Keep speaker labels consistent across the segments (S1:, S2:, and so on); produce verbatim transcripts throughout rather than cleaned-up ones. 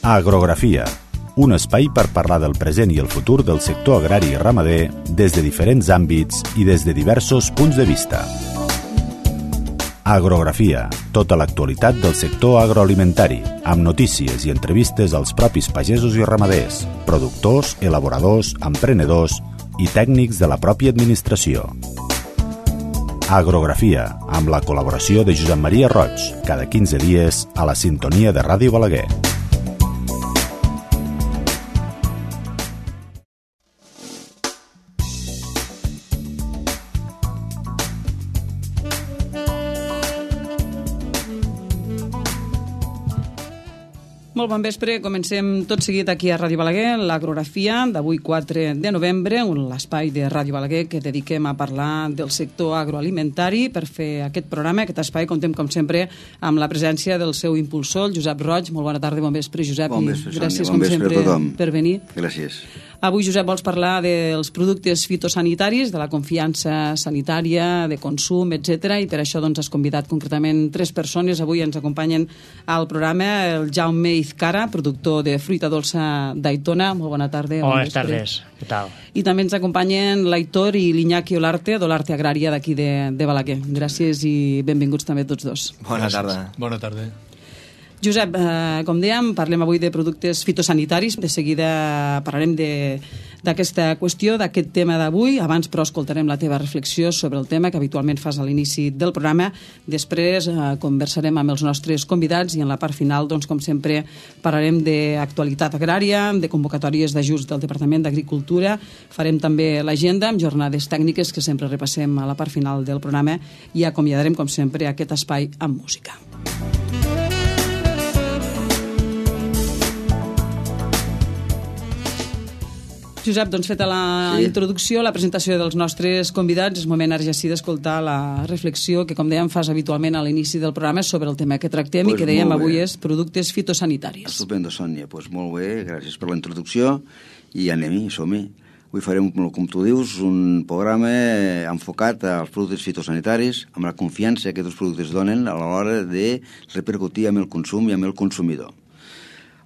S1: Agrografia, un espai per parlar del present i el futur del sector agrari i ramader des de diferents àmbits i des de diversos punts de vista. Agrografia, tota l'actualitat del sector agroalimentari, amb notícies i entrevistes als propis pagesos i ramaders, productors, elaboradors, emprenedors i tècnics de la pròpia administració. Agrografia, amb la col·laboració de Josep Maria Roig, cada quinze dies a la sintonia de Ràdio Balaguer.
S2: Molt bon vespre, comencem tot seguit aquí a Ràdio Balaguer, l'agrografia d'avui quatre de novembre, l'espai de Ràdio Balaguer que dediquem a parlar del sector agroalimentari. Per fer aquest programa, aquest espai, contem com sempre amb la presència del seu impulsor, el Josep Roig. Molt bona tarda, bon vespre, Josep.
S3: Bon vespre, Sònia.
S2: Gràcies,
S3: bon
S2: com
S3: vespre
S2: sempre,
S3: a tothom.
S2: per venir.
S3: Gràcies.
S2: Avui, Josep, vols parlar dels productes fitosanitaris, de la confiança sanitària, de consum, etcètera, i per això doncs, has convidat concretament tres persones. Avui ens acompanyen al programa el Jaume Izcara, productor de fruita dolça d'Aitona. Molt bona tarda.
S4: Bones tardes, què tal?
S2: I també ens acompanyen l'Aitor i l'Iñaki Olarte, d'Olarte Agrària d'aquí de, de Balaguer. Gràcies i benvinguts també tots dos.
S3: Bona tarda.
S5: Bona tarda.
S2: Josep, eh, com dèiem, parlem avui de productes fitosanitaris. De seguida parlarem d'aquesta qüestió, d'aquest tema d'avui. Abans, però, escoltarem la teva reflexió sobre el tema que habitualment fas a l'inici del programa. Després eh, conversarem amb els nostres convidats i en la part final, doncs, com sempre, parlarem d'actualitat agrària, de convocatòries d'ajuts del Departament d'Agricultura. Farem també l'agenda amb jornades tècniques que sempre repassem a la part final del programa i acomiadarem, com sempre, aquest espai amb música. Josep, doncs feta la sí. introducció, la presentació dels nostres convidats, és moment ara ja sí d'escoltar la reflexió que, com dèiem, fas habitualment a l'inici del programa sobre el tema que tractem pues i que dèiem avui és productes fitosanitaris.
S3: Estupendo, Sònia. Doncs pues molt bé, gràcies per la introducció i anem-hi, som-hi. Avui farem, com tu dius, un programa enfocat als productes fitosanitaris amb la confiança que aquests productes donen a l'hora de repercutir amb el consum i amb el consumidor.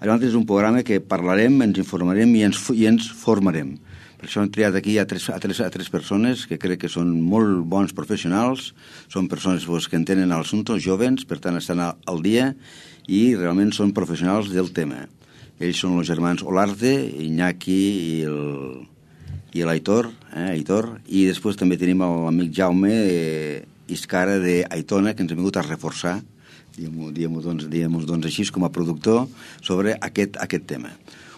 S3: Llavors és un programa que parlarem, ens informarem i ens, i ens formarem. Per això hem triat aquí a tres, a, tres, a tres persones que crec que són molt bons professionals, són persones pues, que entenen l'assumpte, joves, per tant estan al, al dia i realment són professionals del tema. Ells són els germans Olarte, Iñaki i el, i l'Aitor, eh, Aitor, i després també tenim l'amic Jaume eh, Izcara d'Aitona, que ens ha vingut a reforçar diguem-ho diguem doncs, diguem doncs així com a productor sobre aquest, aquest tema.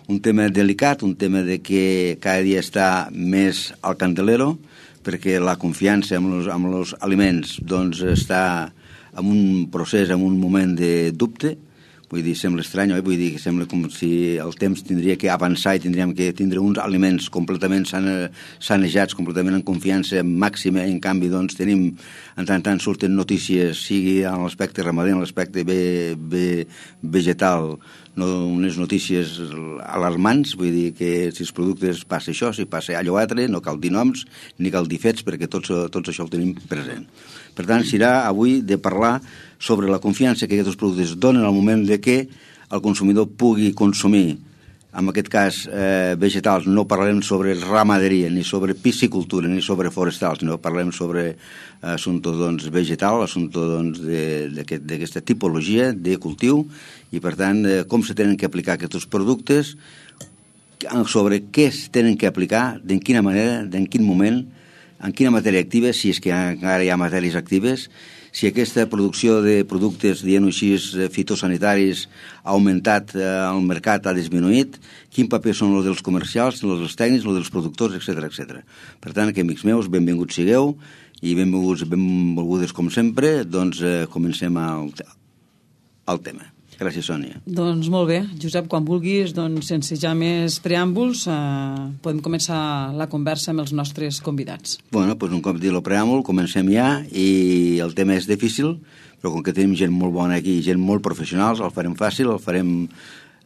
S3: Un tema delicat, un tema de que cada dia està més al candelero perquè la confiança amb els, amb els aliments doncs, està en un procés, en un moment de dubte. Vull dir, sembla estrany, oi? Vull dir que sembla com si el temps tindria que avançar i tindríem que tindre uns aliments completament sane, sanejats, completament en confiança màxima, i en canvi doncs tenim, en tant en tant surten notícies, sigui en l'aspecte ramader, en l'aspecte ve, ve, vegetal, no, unes notícies alarmants, vull dir que si els productes passa això, si passa allò altre, no cal dir noms ni cal dir fets perquè tots, tots això ho tenim present. Per tant, serà avui de parlar sobre la confiança que aquests productes donen al moment de que el consumidor pugui consumir, en aquest cas eh, vegetals. No parlarem sobre ramaderia, ni sobre piscicultura, ni sobre forestals, no parlarem sobre assumpte doncs, vegetal, assumpte doncs, d'aquesta tipologia de cultiu i, per tant, eh, com se tenen que aplicar aquests productes, sobre què es tenen que aplicar, d'en quina manera, d'en quin moment, en quina matèria activa, si és que encara hi ha matèries actives, si aquesta producció de productes, dient-ho així, fitosanitaris ha augmentat, eh, el mercat ha disminuït, quin paper són els dels comercials, els dels tècnics, els dels productors, etcètera, etcètera. Per tant, que, amics meus, benvinguts sigueu i benvinguts, benvolgudes com sempre, doncs eh, comencem al, al tema. Gràcies, Sònia.
S2: Doncs molt bé. Josep, quan vulguis, doncs, sense ja més preàmbuls, eh, podem començar la conversa amb els nostres convidats.
S3: Bueno, doncs un cop dit el preàmbul, comencem ja, i el tema és difícil, però com que tenim gent molt bona aquí, gent molt professionals, el farem fàcil, el farem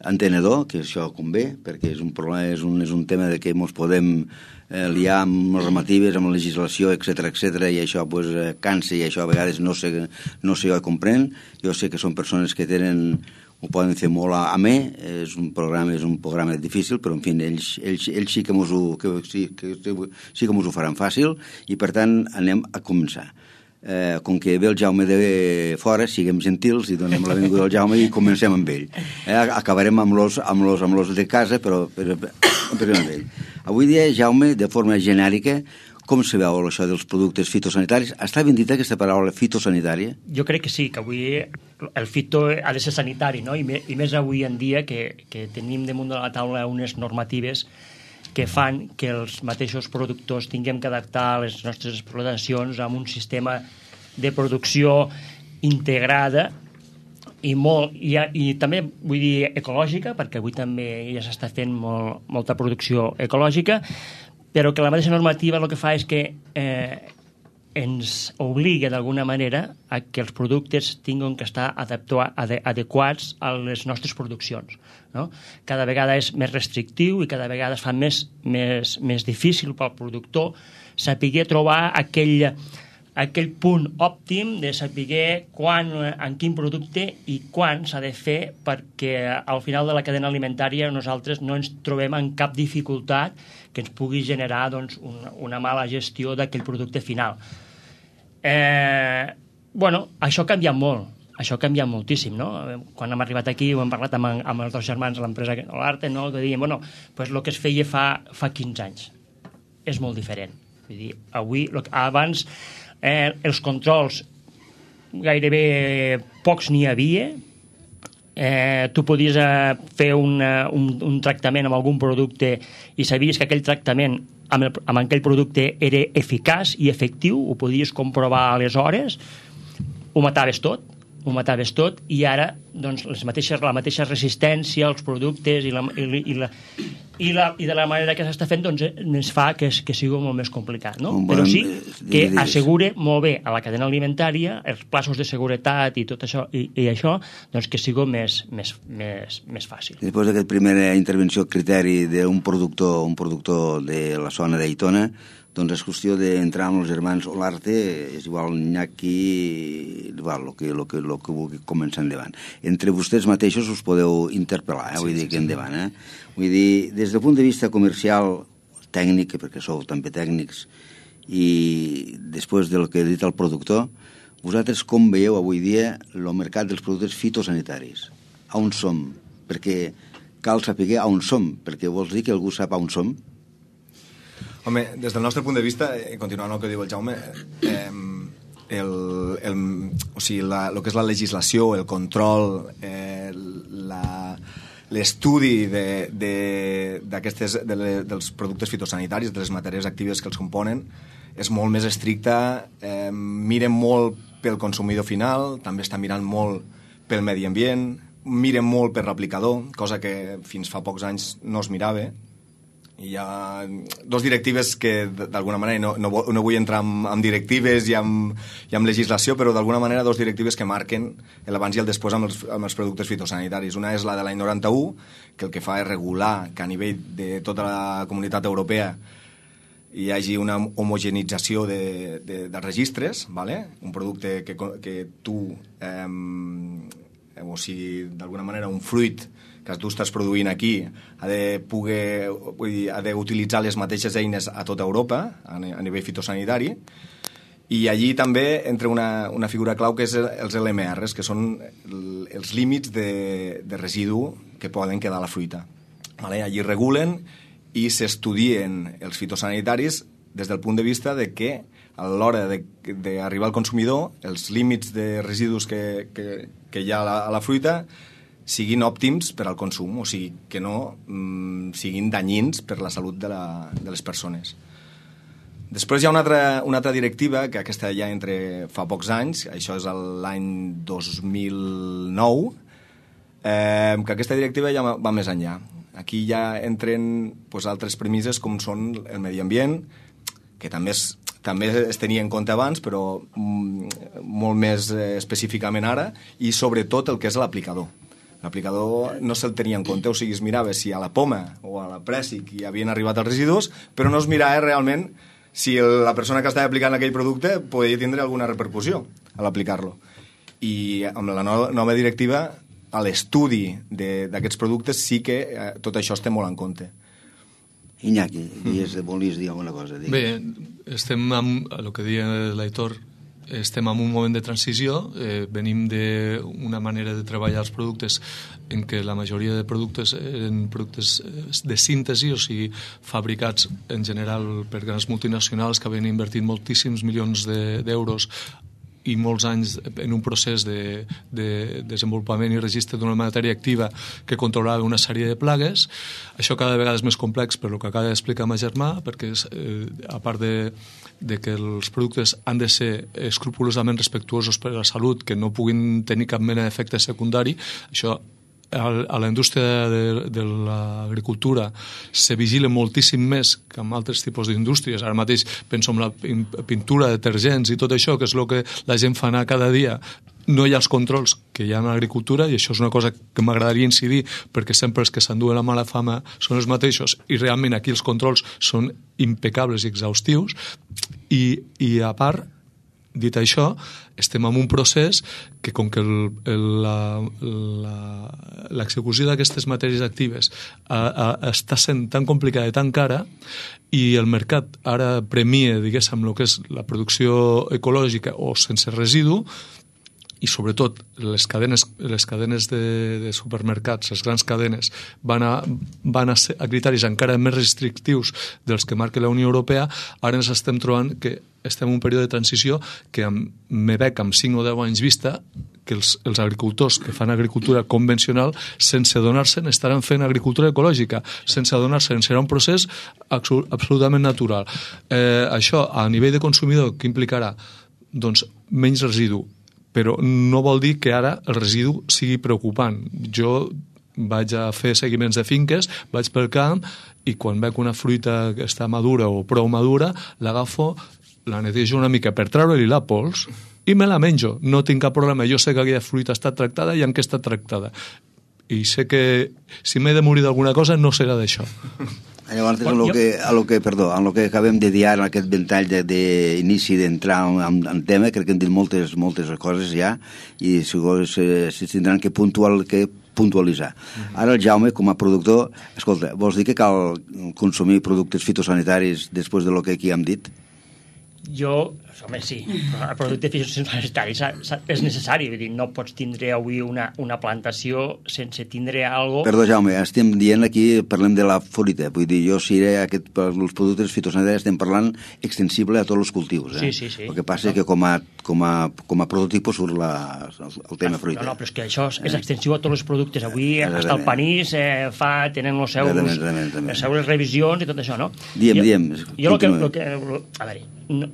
S3: entenedor, que això convé, perquè és un problema, és un, és un tema de que ens podem eh, liar amb normatives, amb legislació, etcètera, etcètera, i això pues, cansa, i això a vegades no sé, no sé jo comprèn. Jo sé que són persones que tenen ho poden fer molt amè, és un programa, és un programa difícil, però en fi, ells, ells, ells sí que mos ho, que, sí, que, sí que mos ho faran fàcil, i per tant anem a començar. Eh, com que ve el Jaume de fora, siguem gentils i donem la benvinguda al Jaume i comencem amb ell. Eh, acabarem amb los, amb, los, amb los de casa, però, però, però amb ell. Avui dia, Jaume, de forma genèrica, com se veu això dels productes fitosanitaris? Està ben dita aquesta paraula fitosanitària?
S4: Jo crec que sí, que avui el fito ha de ser sanitari, no? I, me, i més avui en dia que, que tenim damunt de la taula unes normatives que fan que els mateixos productors tinguem que adaptar les nostres explotacions amb un sistema de producció integrada i, molt, i, i també vull dir ecològica, perquè avui també ja s'està fent molt, molta producció ecològica, però que la mateixa normativa el que fa és que eh, ens obliga d'alguna manera a que els productes tinguin que estar adequats a les nostres produccions, no? Cada vegada és més restrictiu i cada vegada es fa més, més, més difícil pel productor saber trobar aquell, aquell punt òptim de saber quan, en quin producte i quan s'ha de fer, perquè al final de la cadena alimentària nosaltres no ens trobem en cap dificultat que ens pugui generar doncs, una, una mala gestió d'aquell producte final. Eh, bueno, això ha canviat molt, això ha canviat moltíssim, no? Quan hem arribat aquí ho hem parlat amb, amb els dos germans de l'empresa Olarte, no? Que dèiem, bueno, pues el que es feia fa, fa quinze anys és molt diferent. Vull dir, avui, lo que, abans eh, els controls gairebé pocs n'hi havia. Eh, tu podies eh, fer una, un, un tractament amb algun producte i sabies que aquell tractament amb, el, amb aquell producte era eficaç i efectiu, ho podies comprovar aleshores, ho mataves tot, ho mataves tot, i ara doncs, les mateixes, la mateixa resistència als productes i, la, i, i, la, i, la, i de la manera que s'està fent doncs, ens fa que, que sigui molt més complicat, no? Però sí que assegure molt bé a la cadena alimentària els plaços de seguretat i tot això, i, i això doncs, que sigui més, més, més, més fàcil.
S3: Després d'aquesta primera intervenció criteri d'un productor, un productor de la zona d'Aitona, doncs és qüestió d'entrar amb els germans Olarte, és igual Iñaki, igual, el que, lo que, lo que vulgui començar endavant. Entre vostès mateixos us podeu interpel·lar, eh? Vull dir que endavant. Eh? Vull dir, des del punt de vista comercial, tècnic, perquè sou també tècnics, i després del que ha dit el productor, vosaltres com veieu avui dia el mercat dels productes fitosanitaris? A on som? Perquè cal saber a on som, perquè vols dir que algú sap a on som?
S5: Home, des del nostre punt de vista, eh, continuant el que diu el Jaume, eh, el, el, o sigui, la, el que és la legislació, el control, eh, la, l'estudi de, de, d'aquestes, de le, dels productes fitosanitaris, de les matèries actives que els componen, és molt més estricta, eh, miren molt pel consumidor final, també està mirant molt pel medi ambient, miren molt per l'aplicador, cosa que fins fa pocs anys no es mirava. Hi ha dos directives que, d'alguna manera, no, no, no vull entrar en, en directives i en, i en legislació, però d'alguna manera dos directives que marquen l'abans i el després amb els, amb els productes fitosanitaris. Una és la de l'any noranta-u, que el que fa és regular que a nivell de tota la comunitat europea hi hagi una homogenització de, de, de registres, ¿vale? Un producte que, que tu, eh, o sigui, d'alguna manera, un fruit que tu estàs produint aquí ha de poder, vull dir, ha d'utilitzar les mateixes eines a tota Europa a nivell fitosanitari, i allí també entra una, una figura clau que és els L M Rs, que són els límits de, de residu que poden quedar a la fruita. Vale? Allí regulen i s'estudien els fitosanitaris des del punt de vista de que a l'hora d'arribar al consumidor els límits de residus que, que, que hi ha a la, a la fruita siguin òptims per al consum, o sigui, que no mm, siguin danyins per la salut de, la, de les persones. Després hi ha una altra, una altra directiva, que aquesta ja entre fa pocs anys, això és l'any dos mil nou, eh, que aquesta directiva ja va més enllà. Aquí ja entren pues, altres premisses com són el medi ambient, que també es, també es tenia en compte abans, però mm, molt més eh, específicament ara, i sobretot el que és l'aplicador. L'aplicador no se'l tenia en compte, o sigui, es mirava si a la poma o a la prèssic hi havien arribat els residus, però no es mirava realment si la persona que estava aplicant aquell producte podia tindre alguna repercussió a l'aplicar-lo. I amb la no, nova directiva a l'estudi d'aquests productes sí que eh, tot això es té molt en compte.
S3: Iñaki, volies, volies dir alguna cosa? Digues.
S6: Bé, estem amb, el que deia l'Aitor, estem en un moment de transició, eh, venim d'una manera de treballar els productes en què la majoria de productes eren productes de síntesi, o sigui, fabricats en general per grans multinacionals que havien invertit moltíssims milions d'euros i molts anys en un procés de, de desenvolupament i registre d'una matèria activa que controlava una sèrie de plagues. Això cada vegada és més complex per el que acaba d'explicar ma germà, perquè eh, a part de, de que els productes han de ser escrupolosament respectuosos per a la salut, que no puguin tenir cap mena d'efecte secundari, això a la indústria de, de l'agricultura se vigila moltíssim més que en altres tipus d'indústries. Ara mateix penso en la pintura, detergents i tot això, que és el que la gent fa anar cada dia. No hi ha els controls que hi ha en l'agricultura, i això és una cosa que m'agradaria incidir, perquè sempre els que s'enduen la mala fama són els mateixos, i realment aquí els controls són impecables i exhaustius. I, i a part, dit això, estem en un procés que, com que l'execució d'aquestes matèries actives a, a, està sent tan complicada i tan cara, i el mercat ara premia, diguéssim, el que és la producció ecològica o sense residu, i sobretot les cadenes, les cadenes de, de supermercats, les grans cadenes, van a, van a, ser, a criteris encara més restrictius dels que marca la Unió Europea. Ara ens estem trobant que estem en un període de transició que me veig amb cinc o deu anys vista que els, els agricultors que fan agricultura convencional, sense adonar-se'n, estaran fent agricultura ecològica. Sense adonar-se'n, serà un procés absolutament natural. Eh, això, a nivell de consumidor, què implicarà? Doncs menys residu, però no vol dir que ara el residu sigui preocupant. Jo vaig a fer seguiments de finques, vaig pel camp, i quan veig una fruita que està madura o prou madura, l'agafo, la netejo una mica per treure-li la pols i me la menjo. No tinc cap problema. Jo sé que aquella fruita està tractada i en què està tractada. I sé que si m'he de morir d'alguna cosa no serà d'això.
S3: Llavors, bueno, en, lo que, en, lo que, perdó, en lo que acabem de dir ara, en aquest ventall d'inici de, d'entrar en, en, en tema, crec que hem dit moltes, moltes coses ja, i si, si tindran que, puntual, que puntualitzar. Ara el Jaume, com a productor, escolta, vols dir que cal consumir productes fitosanitaris després de lo que aquí hem dit?
S4: Jo, home, sí, el producte fitosanitari és necessari, vull dir, no pots tindre avui una, una plantació sense tindre algo...
S3: Perdó, Jaume, estem dient aquí, parlem de la fruita, vull dir, jo si era aquest, els productes fitosanitaris estem parlant extensible a tots els cultius, eh?
S4: Sí, sí, sí.
S3: El que passa és no. que com a, com a, com a prototip surt la, el tema fruita.
S4: No, no, però és que això és, és extensiu a tots els productes. Avui hasta el panís eh, fa, tenen els seus, les seves revisions i tot això, no?
S3: Diem, jo, diem.
S4: Jo el que, el que... A veure, no,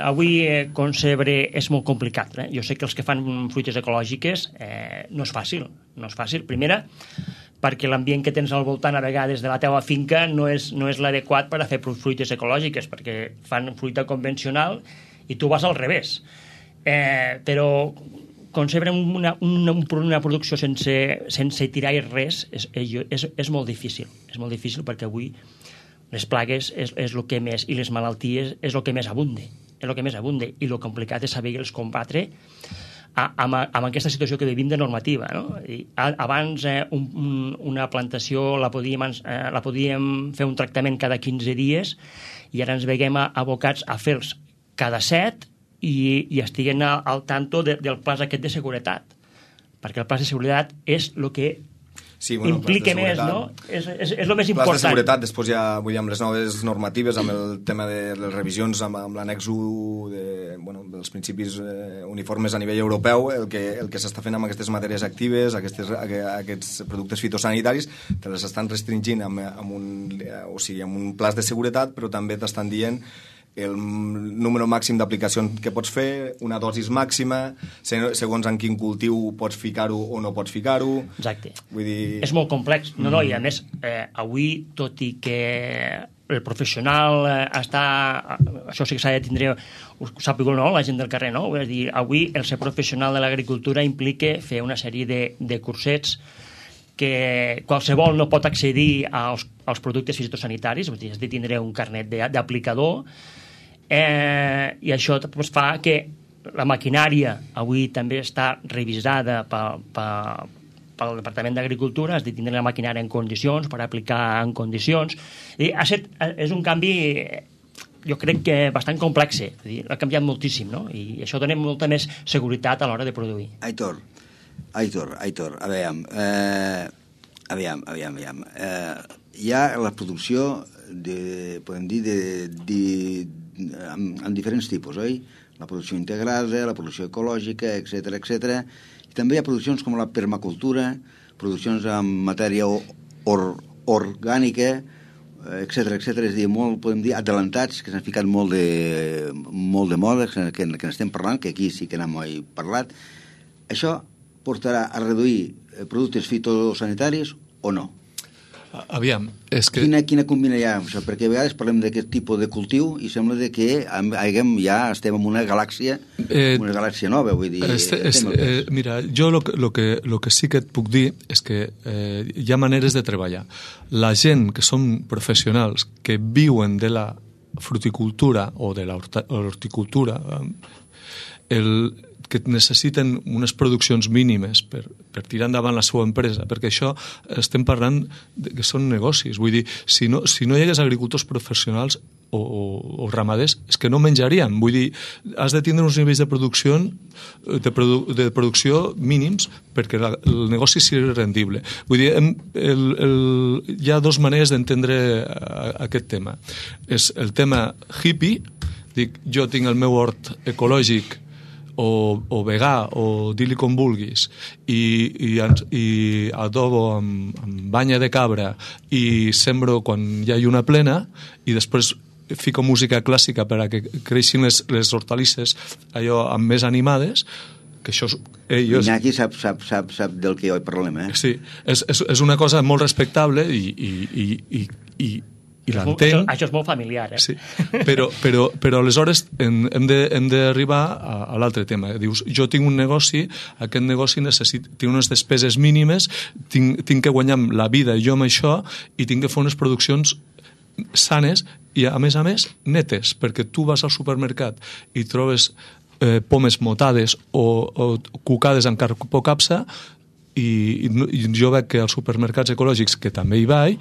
S4: avui eh, concebre és molt complicat. Eh? Jo sé que els que fan fruites ecològiques eh, no és fàcil. No és fàcil. Primera, perquè l'ambient que tens al voltant a vegades de la teva finca no és, no és l'adequat per a fer fruites ecològiques, perquè fan fruita convencional i tu vas al revés. Eh, però concebre una, una, una producció sense, sense tirar res és, és, és molt difícil. És molt difícil perquè avui les plagues és, és el que més, i les malalties és el que més abunde, és el que més abunde, i el complicat és saber els combatre a, amb, amb aquesta situació que vivim de normativa, no? I a, abans eh, un, un, una plantació la podíem, eh, la podíem fer un tractament cada quinze dies, i ara ens veiem abocats a fer-los cada set i, i estiguen al, al tanto de, del pla aquest de seguretat, perquè el pla de seguretat és el que
S5: sí, bueno,
S4: implica més, no? És, és, és el més important.
S5: Plans de seguretat, després ja, vull dir, amb les noves normatives, amb el tema de les revisions, amb, amb l'annex u de, bueno, dels principis eh, uniformes a nivell europeu, el que, el que s'està fent amb aquestes matèries actives, aquestes, aquests productes fitosanitaris, te les estan restringint amb, amb, un, o sigui, amb un pla de seguretat, però també t'estan dient el número màxim d'aplicacions que pots fer, una dosis màxima, segons en quin cultiu pots ficar-ho o no pots ficar-ho.
S4: Exacte.
S5: Vull dir...
S4: És molt complex. No, no, i a més, eh, avui, tot i que el professional eh, està... Això sí que s'ha de tindre... Ho sap igual, no?, la gent del carrer, no? Vull dir, avui el ser professional de l'agricultura implica fer una sèrie de, de cursets que qualsevol no pot accedir als, als productes fitosanitaris, vull dir, has de tindre un carnet d'aplicador, eh, i això pues, fa que la maquinària avui també està revisada per, per, al Departament d'Agricultura has de tindre la maquinària en condicions per aplicar en condicions. I ha set, és un canvi, jo crec que bastant complex. Ha canviat moltíssim, no? I això dona molta més seguretat a l'hora de produir.
S3: Aitor, Aitor, Aitor, a veure, eh, aviam, aviam, aviam. Eh, hi ha la producció, de, podem dir, de, de, amb, amb diferents tipus, oi? La producció integrada, la producció ecològica, etcètera, etcètera. I també hi ha produccions com la permacultura, produccions amb matèria or, orgànica, etcètera, etcètera. És a dir, molt, podem dir, adelantats, que s'han ficat molt de, molt de moda, que, que n'estem parlant, que aquí sí que n'hem parlat. Això portarà a reduir productes fitosanitaris o no?
S6: Aviam, és que...
S3: Quina, quina combina hi ha? Això? Perquè a vegades parlem d'aquest tipus de cultiu i sembla de que haguem, ja estem en una galàxia, eh, una galàxia nova, vull dir...
S6: Este, es, eh, mira, jo lo, lo, que, lo que sí que et puc dir és que eh, hi ha maneres de treballar. La gent que són professionals, que viuen de la fruticultura o de l'horticultura, el... que necessiten unes produccions mínimes per, per tirar endavant la seva empresa, perquè això estem parlant de que són negocis. Vull dir, si no, si no hi hagués agricultors professionals o, o, o ramaders, és que no menjarien. Vull dir, has de tindre uns nivells de producció, de, produ de producció mínims perquè la, el negoci sigui rendible. Vull dir, hem, el, el, hi ha dues maneres d'entendre aquest tema. És el tema hippie, dic, jo tinc el meu hort ecològic o, o vegà, o dir-li com vulguis, i, i, i adobo amb, amb banya de cabra i sembro quan hi ha lluna plena i després fico música clàssica per a que creixin les, les hortalisses allò amb més animades, que això... Eh, jo...
S3: Iñaki sap, sap, sap, sap del que hi parlem, eh?
S6: Sí, és, és, és una cosa molt respectable i, i, i, i, i i l'entenc.
S4: Això és molt familiar, eh?
S6: Sí, però, però, però aleshores hem, hem d'arribar a, a l'altre tema. Dius, jo tinc un negoci, aquest negoci necessit, tinc unes despeses mínimes, tinc, tinc que guanyar la vida jo amb això i tinc que fer unes produccions sanes i, a més a més, netes, perquè tu vas al supermercat i trobes eh, pomes motades o, o cucades amb carpocapsa i, i jo veig que als supermercats ecològics, que també hi vaig,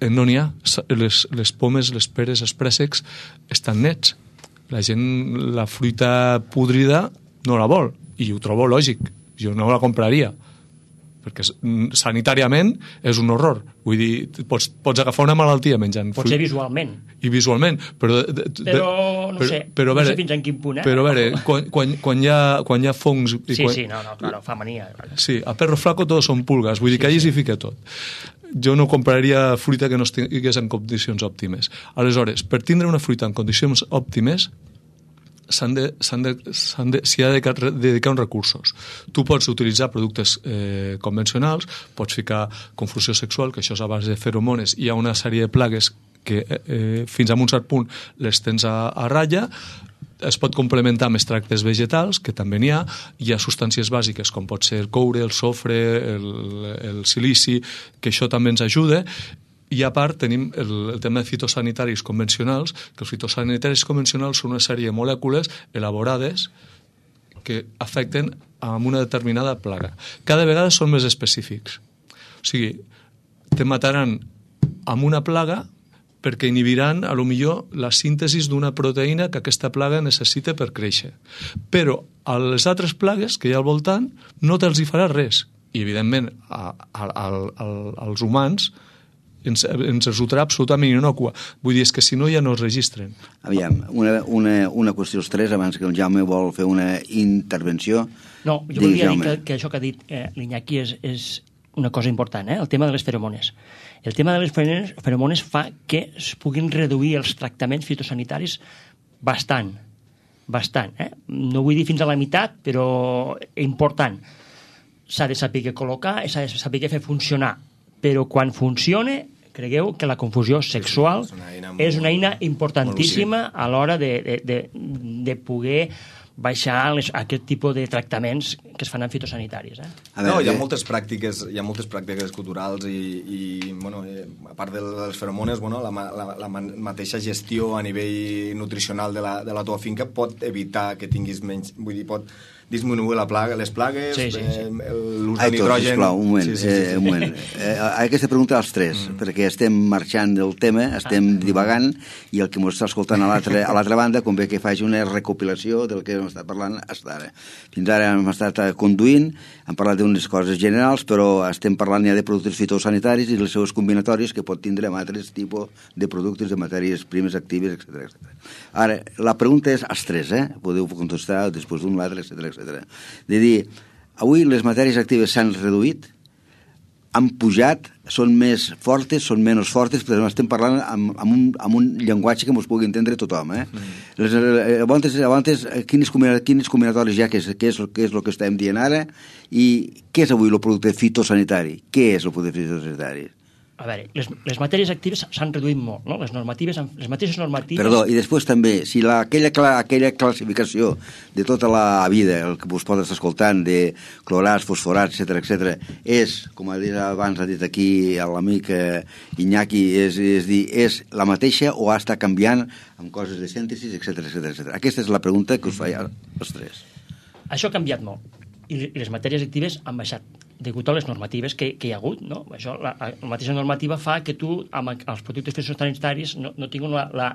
S6: no n'hi ha. Les, les pomes, les peres, els préssecs estan nets. La gent, la fruita podrida no la vol, i ho trobo lògic. Jo no la compraria, perquè sanitàriament és un horror. Vull dir, pots, pots agafar una malaltia menjant fruita.
S4: Potser visualment.
S6: I visualment, però... De, de,
S4: però, no
S6: però,
S4: sé,
S6: però,
S4: no
S6: veure,
S4: sé fins en quin punt, eh?
S6: Però a veure, quan, quan, quan, hi, ha, quan hi ha fongs...
S4: Sí,
S6: quan,
S4: sí, no, no, claro, fa mania.
S6: Sí, a perro flaco todos son pulgas, vull dir sí, que allí s'hi fica tot. Jo no compraria fruita que no estigués en condicions òptimes. Aleshores, per tindre una fruita en condicions òptimes, s'han de, s'han de, s'han de, s'hi ha de dedicar uns recursos. Tu pots utilitzar productes eh, convencionals, pots ficar confusió sexual, que això és a base de feromones, hi ha una sèrie de plagues que eh, fins a un cert punt les tens a, a ratlla, es pot complementar amb extractes vegetals, que també n'hi ha, hi ha substàncies bàsiques com pot ser el coure, el sofre, el, el silici, que això també ens ajuda, i a part tenim el, el tema de fitosanitaris convencionals, que els fitosanitaris convencionals són una sèrie de molècules elaborades que afecten a una determinada plaga. Cada vegada són més específics. O sigui, te mataran amb una plaga perquè inhibiran, a lo millor, la síntesi d'una proteïna que aquesta plaga necessita per créixer. Però a les altres plagues que hi ha al voltant no te'ls hi farà res. I, evidentment, a, a, a, a, als humans ens, ens resultarà absolutament inocua. Vull dir, és que si no ja no es registren.
S3: Aviam, una, una, una qüestió als tres, abans que el Jaume vol fer una intervenció.
S4: No, jo volia dir que, que això que ha dit eh, l'Iñaki és, és una cosa important, eh? El tema de les feromones. El tema de les feromones fa que es puguin reduir els tractaments fitosanitaris bastant, bastant. Eh? No vull dir fins a la meitat, però important. S'ha de saber col·locar, s'ha de saber fer funcionar, però quan funcione, cregueu que la confusió sexual és una eina, molt, és una eina importantíssima a l'hora de, de, de, de poder baixar les, aquest tipus de tractaments que es fan en fitosanitaris. Eh?
S5: No, hi ha moltes pràctiques, hi ha moltes pràctiques culturals i, i bueno, a part de les feromones, bueno, la, la, la mateixa gestió a nivell nutricional de la, de la teva finca pot evitar que tinguis menys, vull dir, pot disminuir la plaga, les plagues,
S4: sí, sí, sí.
S5: eh, l'ús de nitrogen...
S3: Sisplau, un moment,
S5: sí, sí, sí, sí.
S3: Eh, un moment. Eh, aquesta pregunta als tres, mm. perquè estem marxant del tema, estem ah. divagant, i el que ens està escoltant a l'altra banda convé que faci una recopilació del que hem estat parlant fins ara. Fins ara hem estat conduint, hem parlat d'unes coses generals, però estem parlant ja de productes fitosanitaris i les seves combinatòries que pot tindre amb altres tipus de productes, de matèries primes actives, etcètera, etcètera. Ara, la pregunta és als tres, eh? Podeu contestar després d'un, l'altre, etcètera, etcètera. De dir, avui les matèries actives s'han reduït, han pujat, són més fortes, són menys fortes, però estem parlant amb, amb, un, amb un llenguatge que ens pugui entendre tothom. Eh? Mm. Les, abans, abans, quines, quines combinatòries hi ha, què és, què, és, què és el que estem dient ara, i què és avui el producte fitosanitari? Què és el producte fitosanitari?
S4: A veure, les, les matèries actives s'han reduït molt, no? Les normatives, les mateixes normatives...
S3: Perdó, i després també, si la, aquella, aquella classificació de tota la vida, el que vos pots estar escoltant, de clorats, fosforats, etcètera, etcètera, és, com ha dit abans, ha dit aquí l'amic eh, Iñaki, és, és dir, és la mateixa o ha estat canviant amb coses de síntesi, etcètera, etcètera, etcètera. Aquesta és la pregunta que us faig als tres.
S4: Això ha canviat molt, i les matèries actives han baixat degut a les normatives que, que hi ha hagut, no? Això, la, la mateixa normativa fa que tu, amb els productes fitosanitaris, no, no tinguin la, la,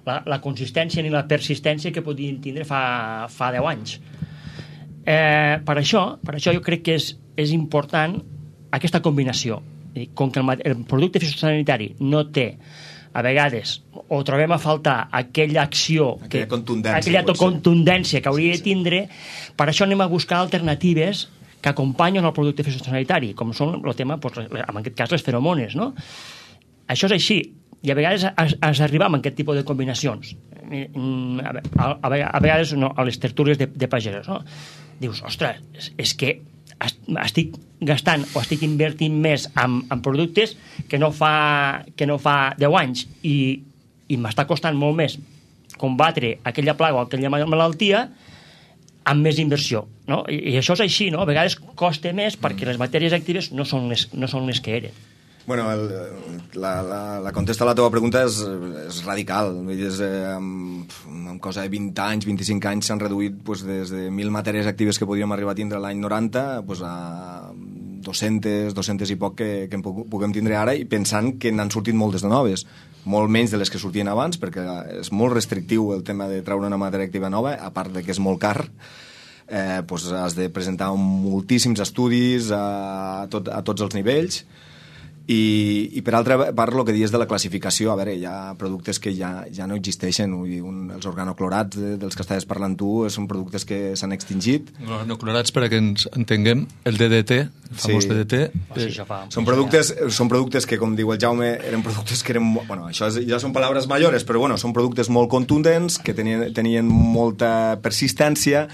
S4: la, la consistència ni la persistència que podien tindre fa, fa deu anys. Eh, per això, per això jo crec que és, és important aquesta combinació. I com que el, el producte fitosanitari no té, a vegades, o trobem a faltar aquella acció,
S5: aquella
S4: que,
S5: contundència,
S4: aquella contundència que hauria sí, sí. de tindre, per això anem a buscar alternatives que acompanyen el producte fitosanitari, com són el tema, doncs, en aquest cas, les feromones, no? Això és així, i a vegades has, has d'arribar amb aquest tipus de combinacions. A, a, a vegades no, a les tertúlies de, de pagesos, no? Dius, ostres, és, és que estic gastant o estic invertint més en, en productes que no fa, que no fa deu anys i, i m'està costant molt més combatre aquella plaga o aquella malaltia amb més inversió, no? I, i això és així, no? A vegades costa més perquè les matèries actives no són les, no són les que eren.
S5: Bueno, el, la, la, la contesta a la teva pregunta és, és radical. És, eh, amb, amb cosa de vint anys, vint-i-cinc anys s'han reduït pues, des de mil matèries actives que podíem arribar a tindre l'any noranta pues, a dos-centes, dos-centes i poc que, que en puguem tindre ara, i pensant que n'han sortit moltes de noves, molt menys de les que sortien abans, perquè és molt restrictiu el tema de treure una matèria activa nova, a part de que és molt car. Eh, pues has de presentar moltíssims estudis a, tot, a tots els nivells. I, i per altra part, el que dius de la classificació, a veure, hi ha productes que ja, ja no existeixen, vull dir, un, els organoclorats de, dels que estaves parlant tu són productes que s'han extingit.
S6: Organoclorats, per a que ens entenguem, el D D T, el famós sí. D D T.
S4: Oh, sí, fa,
S5: són, productes, són productes que, com diu el Jaume, eren productes que eren... Bueno, això és, ja són paraules majores, però bueno, són productes molt contundents, que tenien, tenien molta persistència,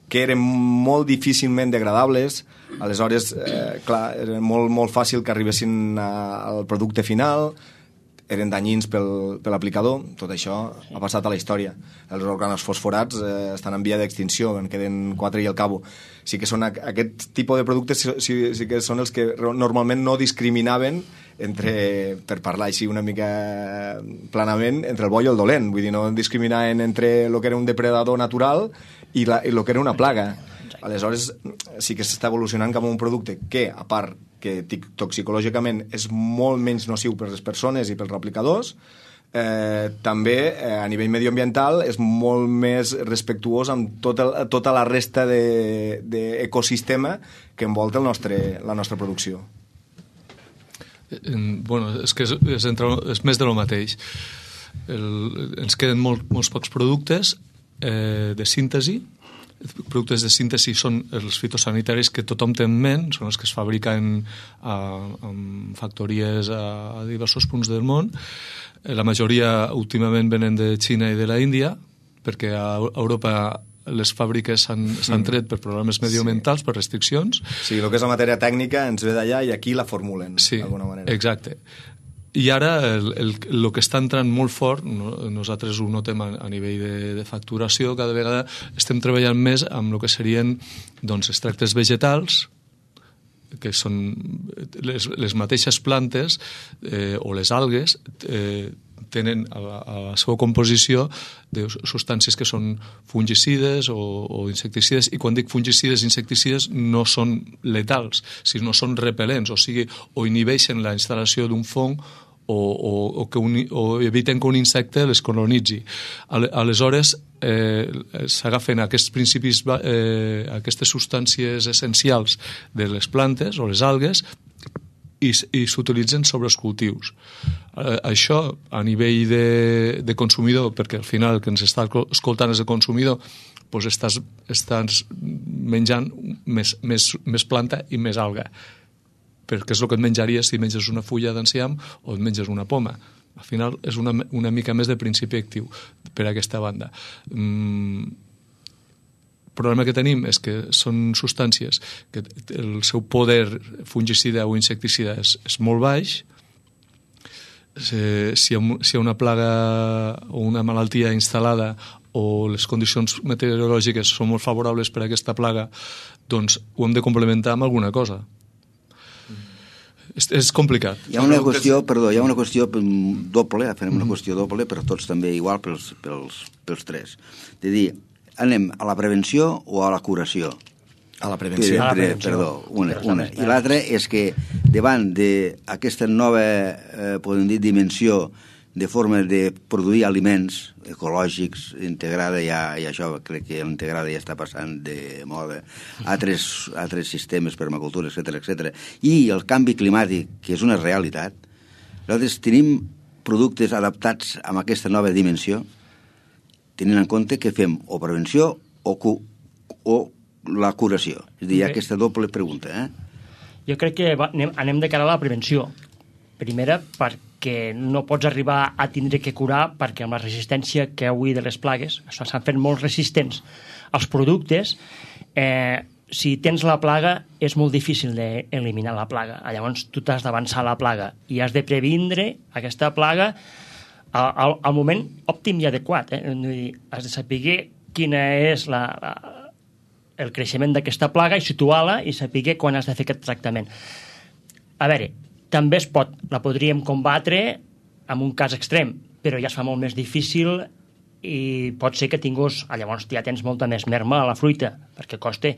S5: que eren molt difícilment degradables. Aleshores, eh, clar, era molt, molt fàcil que arribessin a, al producte final, eren danyins pel, per l'aplicador. Tot això ha passat a la història. Els organos fosforats eh, estan en via d'extinció, en queden quatre i al cabo. Sí que són aquest tipus de productes, sí, sí que són els que normalment no discriminaven entre, per parlar així una mica planament, entre el bo i el dolent. Vull dir, no discriminaven entre el que era un depredador natural i, la, i el que era una plaga. Aleshores, sí que s'està evolucionant cap a un producte que, a part que toxicològicament és molt menys nociu per les persones i pels replicadors, eh, també eh, a nivell medioambiental és molt més respectuós amb tota, tota la resta d'ecosistema de, que envolta el nostre, la nostra producció.
S6: Bueno, és que és, és, entre, és més de lo mateix. El, ens queden molt, molts pocs productes eh, de síntesi. Productes de síntesi són els fitosanitaris que tothom té en ment, són els que es fabriquen a, en factories a, a diversos punts del món. La majoria últimament venen de Xina i de la Índia, perquè a Europa les fàbriques s'han tret per problemes medioambientals, sí. per restriccions.
S5: Sí, el que és la matèria tècnica ens ve d'allà i aquí la formulen,
S6: sí,
S5: d'alguna manera.
S6: Exacte. I ara el, el, el que està entrant molt fort, no, nosaltres ho notem a, a nivell de, de facturació, cada vegada estem treballant més amb el que serien doncs, extractes vegetals, que són les, les mateixes plantes eh, o les algues eh, tenen a la, a la seva composició de substàncies que són fungicides o, o insecticides, i quan dic fungicides i insecticides no són letals, sinó són repel·lents, o sigui, o inhibeixen la instal·lació d'un fong o, o, o, que un, o eviten que un insecte les colonitzi. Aleshores, eh, s'agafen aquests principis, eh, aquestes substàncies essencials de les plantes o les algues i, i s'utilitzen sobre els cultius. Eh, això, a nivell de, de consumidor, perquè al final el que ens està escoltant és el consumidor, doncs estàs, estàs menjant més, més, més planta i més alga, perquè és el que et menjaries si menges una fulla d'enciam o et menges una poma. Al final és una, una mica més de principi actiu per a aquesta banda. Mm, el problema que tenim és que són substàncies que el seu poder fungicida o insecticida és, és molt baix. Si hi ha, si hi ha una plaga o una malaltia instal·lada o les condicions meteorològiques són molt favorables per a aquesta plaga, doncs ho hem de complementar amb alguna cosa. És, és complicat.
S3: Hi ha una qüestió, perdó, hi ha una qüestió doble, farem una qüestió doble, però tots també igual pels, pels, pels tres. De dir, anem a la prevenció o a la curació?
S5: A la prevenció.
S3: Per,
S4: a la prevenció.
S3: Perdó, una. una. I l'altra és que davant d'aquesta nova, eh, podem dir, dimensió de forma de produir aliments ecològics, integrada ja, i això crec que l'integrada ja està passant de moda, altres, altres sistemes, permacultura, etcètera, etcètera, i el canvi climàtic, que és una realitat. Nosaltres tenim productes adaptats a aquesta nova dimensió, tenint en compte que fem o prevenció o, cu o la curació. És a dir, hi ha aquesta doble pregunta. Eh?
S4: Jo crec que va, anem, anem de cara a la prevenció. Primera, perquè no pots arribar a tindre que curar, perquè amb la resistència que avui de les plagues s'han fet molt resistents als productes. Eh, si tens la plaga és molt difícil d'eliminar la plaga. Llavors tu t'has d'avançar la plaga i has de previndre aquesta plaga al, al moment òptim i adequat. Eh? Has de saber quina és la, la, el creixement d'aquesta plaga i situar-la i saber quan has de fer aquest tractament. A veure, també es pot, la podríem combatre en un cas extrem, però ja es fa molt més difícil i pot ser que tinguis, llavors ja tens molta més merma a la fruita, perquè costa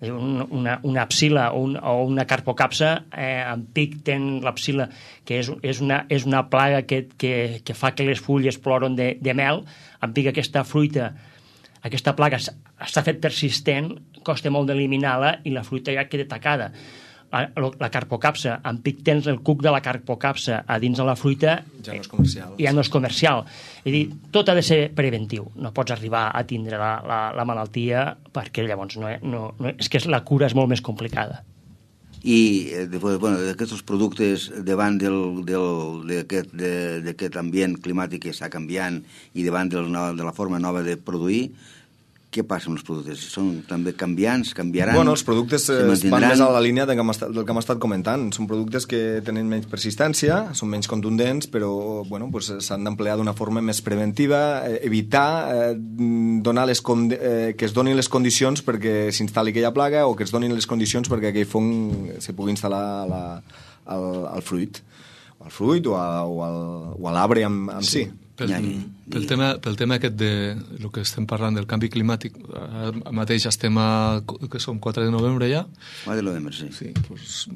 S4: una, una psila o, un, o una carpocapsa, eh, en pic ten la psila, que és, és, una, és una plaga que, que, que fa que les fulles ploren de, de mel, en pic aquesta fruita, aquesta plaga s'ha fet persistent, costa molt d'eliminar-la i la fruita ja queda tacada. La carpocapsa, en pic tens el cuc de la carpocapsa a dins de la fruita,
S5: ja no és comercial.
S4: Ja no és comercial. És dir, tot ha de ser preventiu. No pots arribar a tindre la, la, la malaltia perquè llavors no, no, no, és que la cura és molt més complicada.
S3: I bueno, d'aquests productes davant d'aquest ambient climàtic que està canviant i davant del, de la forma nova de produir, què passa amb els productes? Són també canviants, canviaran?
S5: Bueno, els productes van més a la línia del que hem estat, del que hem estat comentant. Són productes que tenen menys persistència, són menys contundents, però bueno, pues, s'han d'emplear d'una forma més preventiva, eh, evitar eh, donar les eh, que es donin les condicions perquè s'instal·li aquella plaga o que es donin les condicions perquè aquell fong se pugui instal·lar a la, al, al fruit, o al fruit o, a, o, al, o a l'arbre en, en sí. sí.
S6: Pel, pel, tema, pel tema aquest de el que estem parlant del canvi climàtic, ara mateix estem a, que som quatre de novembre ja?
S3: quatre de novembre, sí.
S6: Sí, doncs,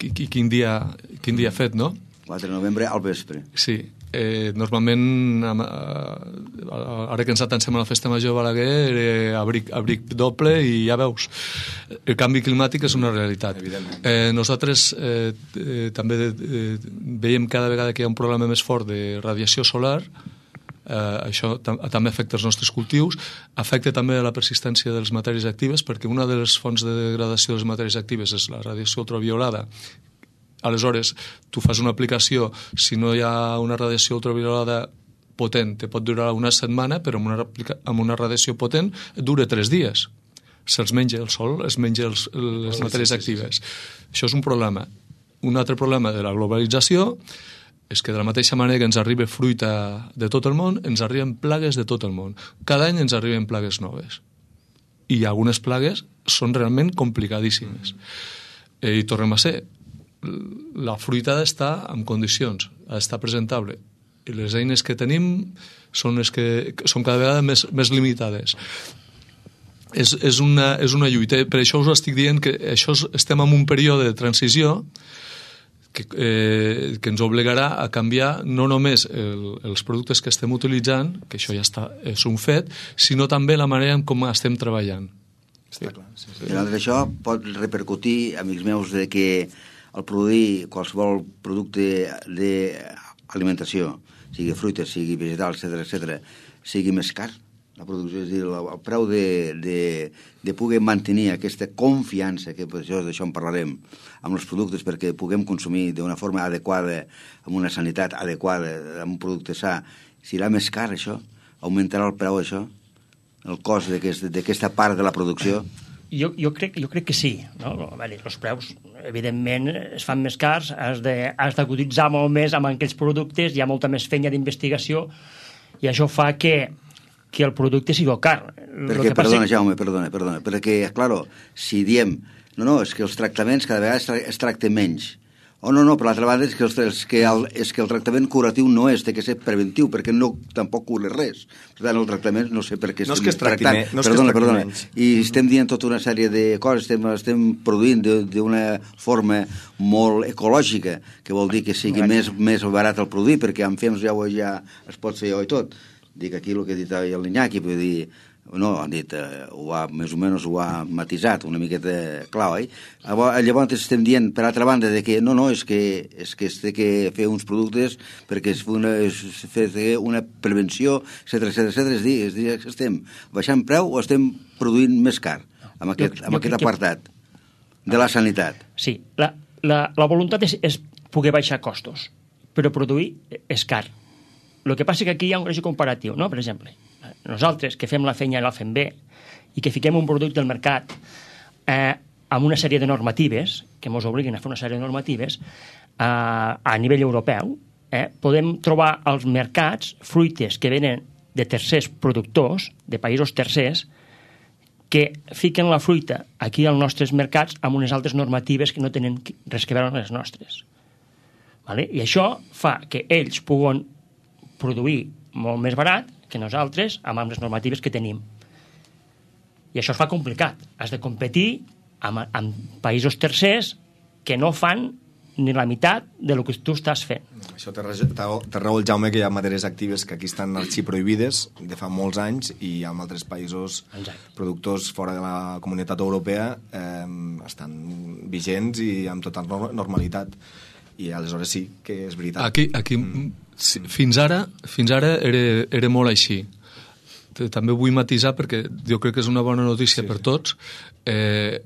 S6: quin dia, quin dia fet, no?
S3: quatre de novembre al vespre.
S6: Sí. Eh, normalment, ara que ens atansem a la festa major de Balaguer, eh, abric, abric doble i ja veus. El canvi climàtic és una realitat. Eh, nosaltres eh, eh, també eh, veiem cada vegada que hi ha un problema més fort de radiació solar. Eh, això tam també afecta els nostres cultius, afecta també la persistència de les matèries actives, perquè una de les fonts de degradació de les matèries actives és la radiació ultraviolada. Aleshores, tu fas una aplicació, si no hi ha una radiació ultraviolada potent, te pot durar una setmana, però amb una, amb una radiació potent dura tres dies. Se'ls menja el sol, es menja els, les matèries actives. Això és un problema. Un altre problema de la globalització és que de la mateixa manera que ens arriba fruita de tot el món, ens arriben plagues de tot el món. Cada any ens arriben plagues noves. I algunes plagues són realment complicadíssimes. Eh, I tornem a ser, la fruita ha d'estar en condicions, ha d'estar presentable. I les eines que tenim són les que són cada vegada més, més limitades. És, és, una, és una lluita. Per això us estic dient que això estem en un període de transició que, eh, que ens obligarà a canviar no només el, els productes que estem utilitzant, que això ja està, és un fet, sinó també la manera en com estem treballant.
S5: Està clar. Sí, sí.
S3: I això pot repercutir, amics meus, de que el produir qualsevol producte d'alimentació, sigui fruita, sigui vegetal, etcètera, etcètera, sigui més car. La producció, és a dir, el preu de, de, de poder mantenir aquesta confiança, que per això d'això en parlarem, amb els productes perquè puguem consumir d'una forma adequada, amb una sanitat adequada, amb un producte sa, serà més car això? Augmentarà el preu això? El cost d'aquesta part de la producció?
S4: Jo, jo, crec, jo crec que sí. No? Els preus, evidentment, es fan més cars, has de, has de cotitzar molt més amb aquells productes, hi ha molta més feina d'investigació, i això fa que que el producte sigui car.
S3: Perquè, perdona, que... Jaume, perdona, perdona, perquè, claro, si diem, no, no, és que els tractaments cada vegada es tracten menys. O no, no, per l'altra banda és que, els, que el, és que el tractament curatiu no és, té que ser preventiu, perquè no tampoc cura res. Per tant, el tractament, no sé per què
S5: no
S3: estem
S5: és que tractant. No és
S3: perdona,
S5: que
S3: perdona.
S5: menys.
S3: I estem dient tota una sèrie de coses, estem, estem produint d'una forma molt ecològica, que vol dir que sigui més, més barat el produir, perquè amb fems ja, ja es pot fer jo i tot. Dic aquí el que ha dit el Iñaki, vull dir, no, han dit, eh, ho ha, més o menys ho ha matisat una miqueta clar, oi? Llavors estem dient, per altra banda, de que no, no, és que és que es té que fer uns productes perquè es, una, es fer una prevenció, etcètera, etcètera, etcètera. És dir, és dir, que estem baixant preu o estem produint més car amb aquest, jo, amb aquest apartat que... de la sanitat.
S4: Sí, la, la, la voluntat és, és poder baixar costos, però produir és car. El que passa és que aquí hi ha un greix comparatiu, no? Per exemple, nosaltres que fem la feina i la fem bé i que fiquem un producte al mercat eh, amb una sèrie de normatives, que ens obliguen a fer una sèrie de normatives eh, a nivell europeu, eh, podem trobar als mercats fruites que venen de tercers productors, de països tercers, que fiquen la fruita aquí als nostres mercats amb unes altres normatives que no tenen res que veure amb les nostres. Vale? I això fa que ells puguen produir molt més barat que nosaltres amb les normatives que tenim. I això es fa complicat. Has de competir amb, amb països tercers que no fan ni la meitat de lo que tu estàs fent.
S5: Això té raó el Jaume, que hi ha matèries actives que aquí estan arxiprohibides de fa molts anys i en altres països Exacte. productors fora de la comunitat europea eh, estan vigents i amb tota normalitat. I aleshores sí que és veritat.
S6: Aquí, aquí mm. sí, fins ara, fins ara era, era molt així. També vull matisar perquè jo crec que és una bona notícia sí, per tots. Eh,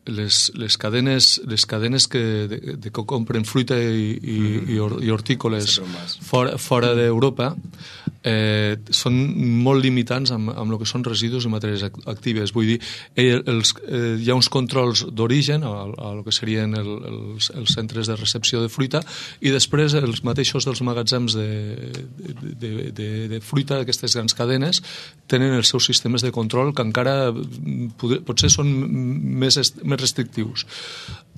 S6: les, les cadenes, les cadenes que, de, de que compren fruita i, i, mm. i, or, i hortícoles fora, fora d'Europa eh, són molt limitants amb, amb el que són residus i matèries actives. Vull dir, els, eh, hi ha uns controls d'origen a, a el que serien el, els, els centres de recepció de fruita i després els mateixos dels magatzems de, de, de, de, de fruita d'aquestes grans cadenes tenen els seus sistemes de control que encara poder, potser són més, més restrictius.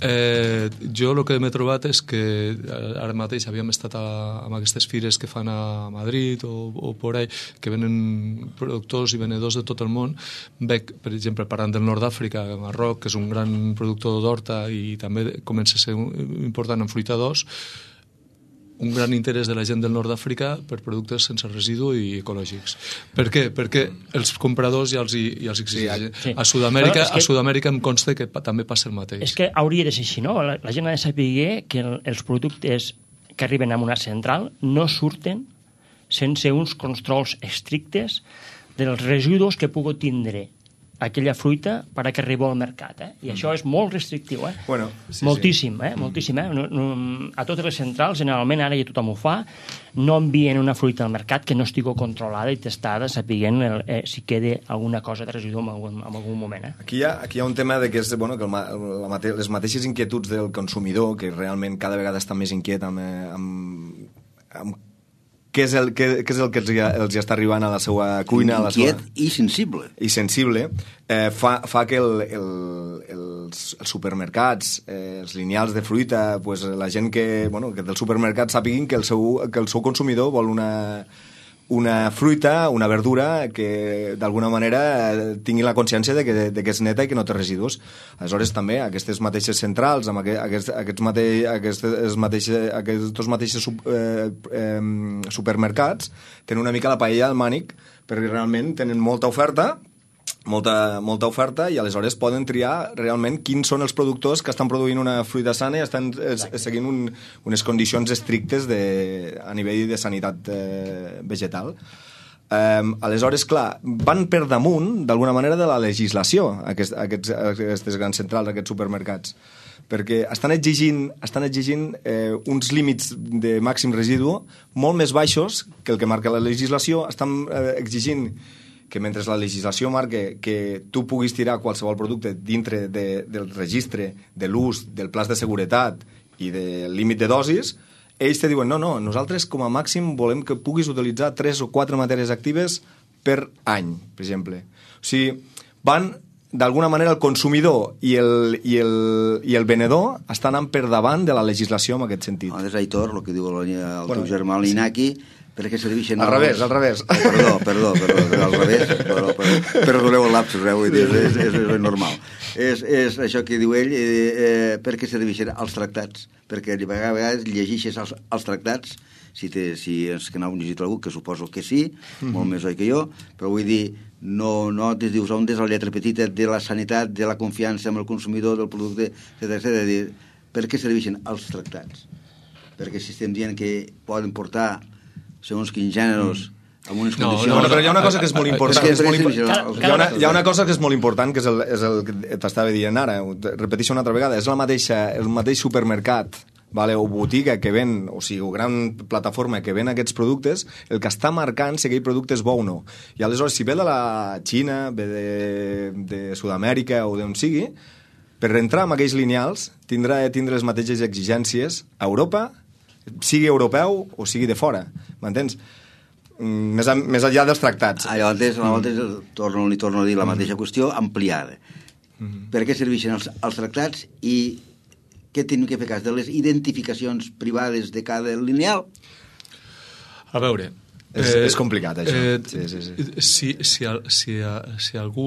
S6: Eh, jo el que m'he trobat és que ara mateix havíem estat a, amb aquestes fires que fan a Madrid o, o por ahí, que venen productors i venedors de tot el món. Veig, per exemple, parlant del nord d'Àfrica, Marroc, que és un gran productor d'horta i també comença a ser important en fruita d'os, un gran interès de la gent del nord d'Àfrica per productes sense residu i ecològics. Per què? Perquè els compradors ja els, ja els exigeixen. Sí. A Sud-amèrica bueno, que... a Sud-amèrica em consta que també passa el mateix.
S4: És que hauria de ser així, no? La, la gent ha de saber que el, els productes que arriben a una central no surten sense uns controls estrictes dels residus que pugui tindre aquella fruita per a que arribi al mercat. Eh? I mm. això és molt restrictiu. Eh?
S5: Bueno, sí,
S4: moltíssim,
S5: sí.
S4: eh? moltíssim. Eh? No, no, a totes les centrals, generalment, ara ja tothom ho fa, no envien una fruita al mercat que no estigui controlada i testada, sapiguent el, eh, si queda alguna cosa de residu en algun, en algun moment. Eh?
S5: Aquí, hi ha, aquí hi ha un tema de que, és, bueno, que el, la mate, les mateixes inquietuds del consumidor, que realment cada vegada està més inquiet amb, amb què és el, què, què és el que els, els està arribant a la seva cuina, a la seva...
S3: Inquiet i sensible.
S5: I sensible, eh, fa, fa que el, el, els, els supermercats, eh, els lineals de fruita, pues, la gent que, bueno, que del supermercat sàpiguin que el seu, que el seu consumidor vol una, una fruita, una verdura que d'alguna manera tingui la consciència de que, de que és neta i que no té residus. Aleshores també aquestes mateixes centrals, amb aquest, aquests, mate, aquestes mateixes, aquests mateixos eh, eh, supermercats tenen una mica la paella al mànic perquè realment tenen molta oferta molta, molta oferta i aleshores poden triar realment quins són els productors que estan produint una fruita sana i estan es, seguint un, unes condicions estrictes de, a nivell de sanitat eh, vegetal. Um, aleshores, clar, van per damunt d'alguna manera de la legislació aquest, aquests, aquestes grans centrals, aquests supermercats, perquè estan exigint, estan exigint eh, uns límits de màxim residu molt més baixos que el que marca la legislació. Estan eh, exigint que mentre la legislació marque que tu puguis tirar qualsevol producte dintre de, del registre, de l'ús, del pla de seguretat i del límit de dosis, ells te diuen, no, no, nosaltres com a màxim volem que puguis utilitzar tres o quatre matèries actives per any, per exemple. O sigui, van, d'alguna manera, el consumidor i el, i el, i el venedor estan anant per davant de la legislació en aquest sentit.
S3: No, és Aitor, el que diu el, el
S5: bueno,
S3: teu germà, l'Inaki, sí. Perquè serveixen...
S5: Al revés, al revés.
S3: Oh, perdó, perdó, perdó, perdó, al revés. Perdó, perdó, perdoneu el lapsus, eh, vull dir, és, és, és normal. És, és això que diu ell, eh, eh, perquè serveixen els tractats. Perquè a vegades llegeixes els, els tractats, si, te, si és que n'heu llegit algú, que suposo que sí, mm-hmm. molt més oi que jo, però vull dir, no, no te dius on és la lletra petita de la sanitat, de la confiança amb el consumidor, del producte, etcètera, etcètera. Per què serveixen els tractats? Perquè si estem dient que poden portar segons quins gèneros, amb unes
S5: no,
S3: condicions...
S5: No, no, però hi ha una cosa que és molt important.
S3: És
S5: és molt
S3: que,
S5: import... hi, ha una, hi ha una cosa que és molt important, que és el, és el que t'estava dient ara, repeteixo una altra vegada, és la mateixa, el mateix supermercat, vale, o botiga que ven, o sigui, o gran plataforma que ven aquests productes, el que està marcant si aquell producte és bo o no. I aleshores, si ve de la Xina, ve de, de Sud-amèrica o d'on sigui, per entrar en aquells lineals tindrà tindre les mateixes exigències a Europa, sigui europeu o sigui de fora, m'entens? Més, a, més enllà dels tractats.
S3: Ah, llavors, mm. torno, li torno a dir la mateixa mm. qüestió ampliada. Mm. Per què serveixen els, els tractats i què tenim que fer cas de les identificacions privades de cada lineal?
S6: A veure...
S5: És, eh, és complicat, això.
S6: Eh,
S5: sí, sí, sí.
S6: Si, si, si, si algú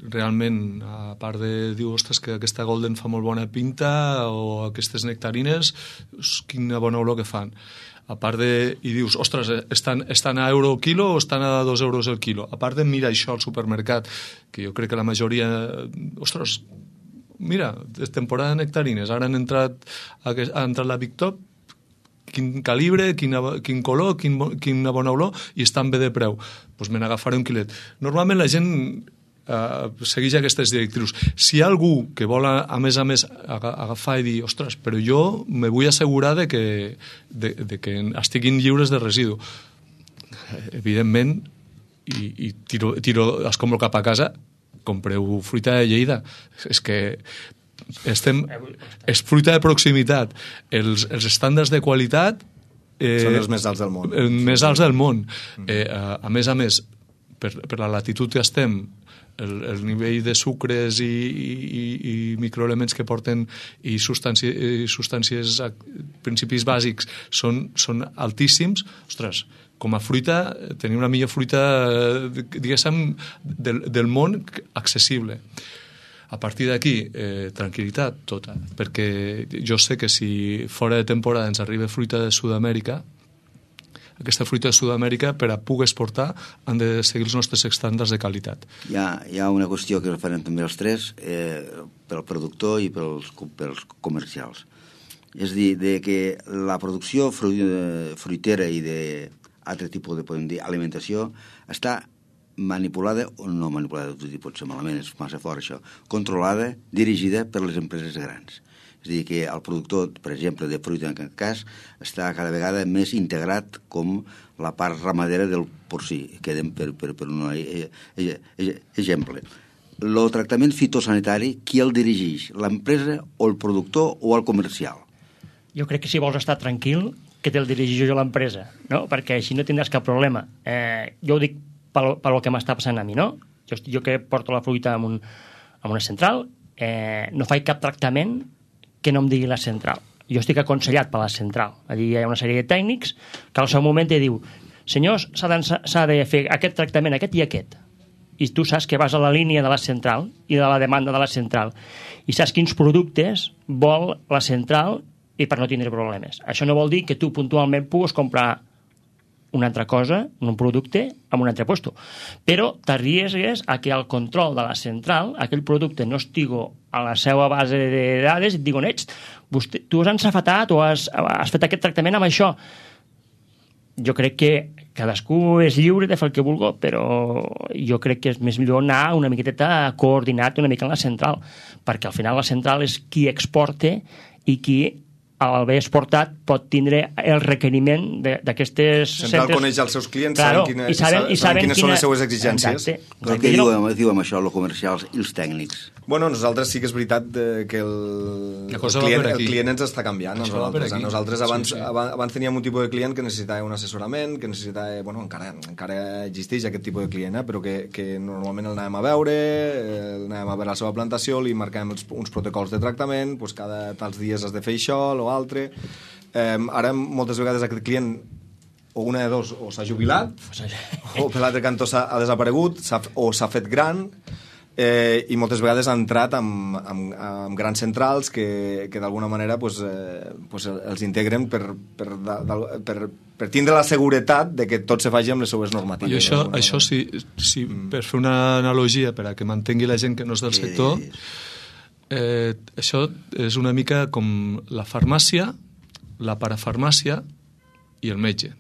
S6: realment, a part de dir, ostres, que aquesta Golden fa molt bona pinta o aquestes nectarines, quina bona olor que fan. A part de... I dius, ostres, estan, estan a euro el quilo o estan a dos euros el quilo? A part de mirar això al supermercat, que jo crec que la majoria... Ostres, mira, és temporada de nectarines, ara han entrat, ha entrat la Big Top, quin calibre, quina, quin color, quin, quina bona olor, i estan bé de preu. Doncs pues me n'agafaré un quilet. Normalment la gent... Uh, segueix aquestes directrius. Si hi ha algú que vol, a, a més a més, agafar i dir, ostres, però jo me vull assegurar de que, de, de que estiguin lliures de residu. Evidentment, i, i tiro, tiro escombro cap a casa, compreu fruita de Lleida. És que estem... És fruita de proximitat. Els, els estàndards de qualitat...
S5: Eh, són els més alts del món.
S6: Els més alts del món. Eh, a, a més a més, per, per la latitud que estem, El, el nivell de sucres i, i, i microelements que porten i substàncies, i substàncies principis bàsics són, són altíssims. Ostres, com a fruita tenir una millor fruita diguéssim del, del món accessible. A partir d'aquí, eh, tranquil·litat tota, perquè jo sé que si fora de temporada ens arriba fruita de Sud-amèrica, aquesta fruita de Sud-amèrica, per a poder exportar, han de seguir els nostres estàndards de qualitat.
S3: Hi ha, hi ha una qüestió que referent també els tres, eh, pel productor i pels, pels comercials. És dir, de que la producció fruitera i d'altre tipus de, podem dir, alimentació està manipulada, o no manipulada, pot ser malament, és massa fort això, controlada, dirigida per les empreses grans. És a dir, que el productor, per exemple, de fruita en aquest cas, està cada vegada més integrat com la part ramadera del porcí. Quedem per, per, per un exemple. El tractament fitosanitari, qui el dirigeix? L'empresa o el productor o el comercial?
S4: Jo crec que si vols estar tranquil, que te'l dirigeixo jo a l'empresa, no? Perquè així no tindràs cap problema. Eh, jo ho dic pel, pel que m'està passant a mi, no? Jo, jo que porto la fruita en, un, en una central, eh, no faig cap tractament que no em digui la central. Jo estic aconsellat per la central. Allí hi ha una sèrie de tècnics que al seu moment te diu, senyors, s'ha de fer aquest tractament, aquest i aquest. I tu saps que vas a la línia de la central i de la demanda de la central i saps quins productes vol la central i per no tindre problemes. Això no vol dir que tu puntualment puguis comprar una altra cosa, un producte, en un altre lloc. Però t'arriesgues a que al control de la central aquell producte no estigui a la seva base de dades i et diguen, ets, vostè, tu has ensafatat o has, has fet aquest tractament amb això. Jo crec que cadascú és lliure de fer el que vulgui, però jo crec que és més millor anar una miqueta coordinat una mica en la central, perquè al final la central és qui exporta i qui al haver exportat pot tindre el requeriment d'aquestes
S5: centres. Central coneix els seus clients,
S4: claro,
S5: saben, quina,
S4: i saben, i saben
S5: quines
S4: quina...
S5: són les seues exigències.
S4: Exacte.
S3: Però què diu, diu amb això, els comercials i els tècnics?
S5: Bueno, nosaltres sí que és veritat que el, el, client, el client ens està canviant. A nosaltres, a nosaltres abans, sí, sí. abans teníem un tipus de client que necessitava un assessorament, que necessitava, bueno, encara, encara existeix aquest tipus de client, eh, però que, que normalment el anàvem a veure, el anàvem a veure la seva plantació, li marcàvem els, uns protocols de tractament, doncs cada tals dies has de fer això o altre. Eh, ara moltes vegades aquest client o una de dos, o s'ha jubilat o per l'altre cantó ha, ha desaparegut o s'ha fet gran, eh, i moltes vegades ha entrat amb, amb, amb grans centrals que, que d'alguna manera pues, eh, pues els integren per, per, per, per tindre la seguretat de que tot se faci amb les seues normatives.
S6: I això, això sí, sí mm. per fer una analogia per a que mantengui la gent que no és del sector, eh, això és una mica com la farmàcia, la parafarmàcia i el metge.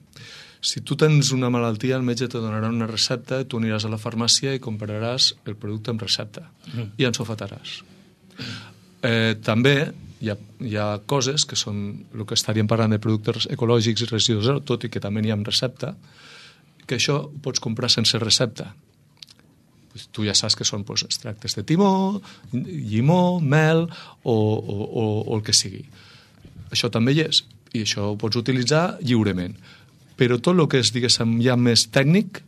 S6: Si tu tens una malaltia, el metge te donarà una recepta, tu aniràs a la farmàcia i compraràs el producte amb recepta mm. i ensofataràs. Eh, també hi ha, hi ha coses que són el que estaríem parlant de productes ecològics i residus zero, tot i que també n'hi ha amb recepta, que això ho pots comprar sense recepta. Pues tu ja saps que són pues, extractes de timó, llimó, mel o, o, o, o el que sigui. Això també hi és, i això ho pots utilitzar lliurement. Però tot el que és, diguéssim, ja més tècnic,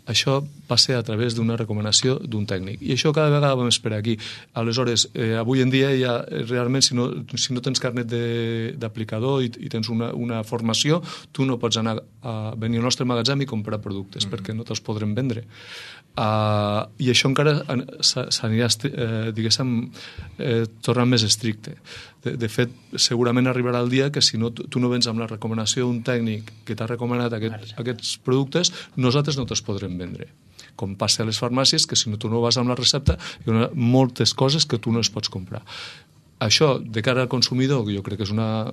S6: això passa a través d'una recomanació d'un tècnic. I això cada vegada va més per aquí. Aleshores, eh, avui en dia ja realment, si no, si no tens carnet d'aplicador i, i tens una, una formació, tu no pots anar a venir al nostre magatzem i comprar productes, mm. perquè no te'ls podrem vendre. Uh, I això encara s'anirà, eh, diguéssim, eh, tornant més estricte. De, de fet, segurament arribarà el dia que si no, tu no vens amb la recomanació d'un tècnic que t'ha recomanat aquest, aquests productes, nosaltres no te'ls podrem vendre. Com passa a les farmàcies, que si no tu no vas amb la recepta, hi ha moltes coses que tu no es pots comprar. Això, de cara al consumidor, jo crec que és una,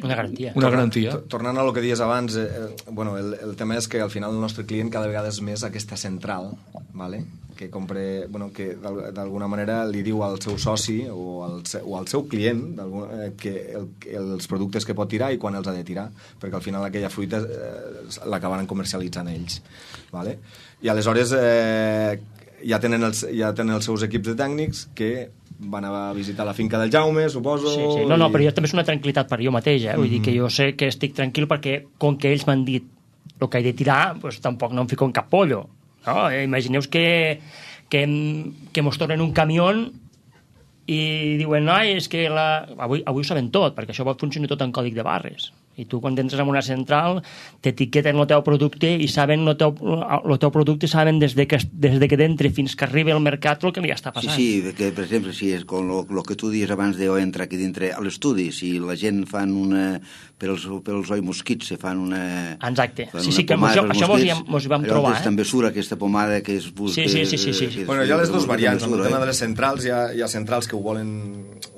S4: una garantia.
S6: Una garantia.
S5: Tornant a lo que dies abans, eh, bueno, el, el tema és que al final el nostre client cada vegada és més aquesta central, ¿vale? que compre, bueno, que d'alguna manera li diu al seu soci o al, o al seu client eh, que el, els productes que pot tirar i quan els ha de tirar, perquè al final aquella fruita eh, l'acabaran comercialitzant ells. ¿Vale? I aleshores eh, ja, tenen els, ja tenen els seus equips de tècnics que van a visitar la finca del Jaume, suposo...
S4: Sí, sí. No, no, però jo també és una tranquil·litat per jo mateix, eh? Vull mm-hmm. dir que jo sé que estic tranquil perquè com que ells m'han dit el que he de tirar, doncs tampoc no em fico en cap pollo. No? Imagineu que, que, que mos tornen un camió i diuen, no, és que la... avui, avui ho saben tot, perquè això funciona tot en còdic de barres. I tu, quan entres en una central, t'etiqueten el teu producte i saben el teu, el teu producte saben des de que, des de que d'entre fins que arribi al mercat el que li està passant.
S3: Sí, sí, que, per exemple, si és com el que tu dius abans d'entrar aquí dintre a l'estudi, si la gent fan una... per als, per als oi mosquits se fan una...
S4: Exacte. Sí, sí, que això, això mos, hi, mos hi vam trobar.
S3: Eh? També sura aquesta pomada que es busca...
S4: Sí, sí, sí. sí, sí.
S3: Que,
S5: bueno, hi ha les dues variants. En el tema de les centrals, hi ha, hi ha centrals que ho volen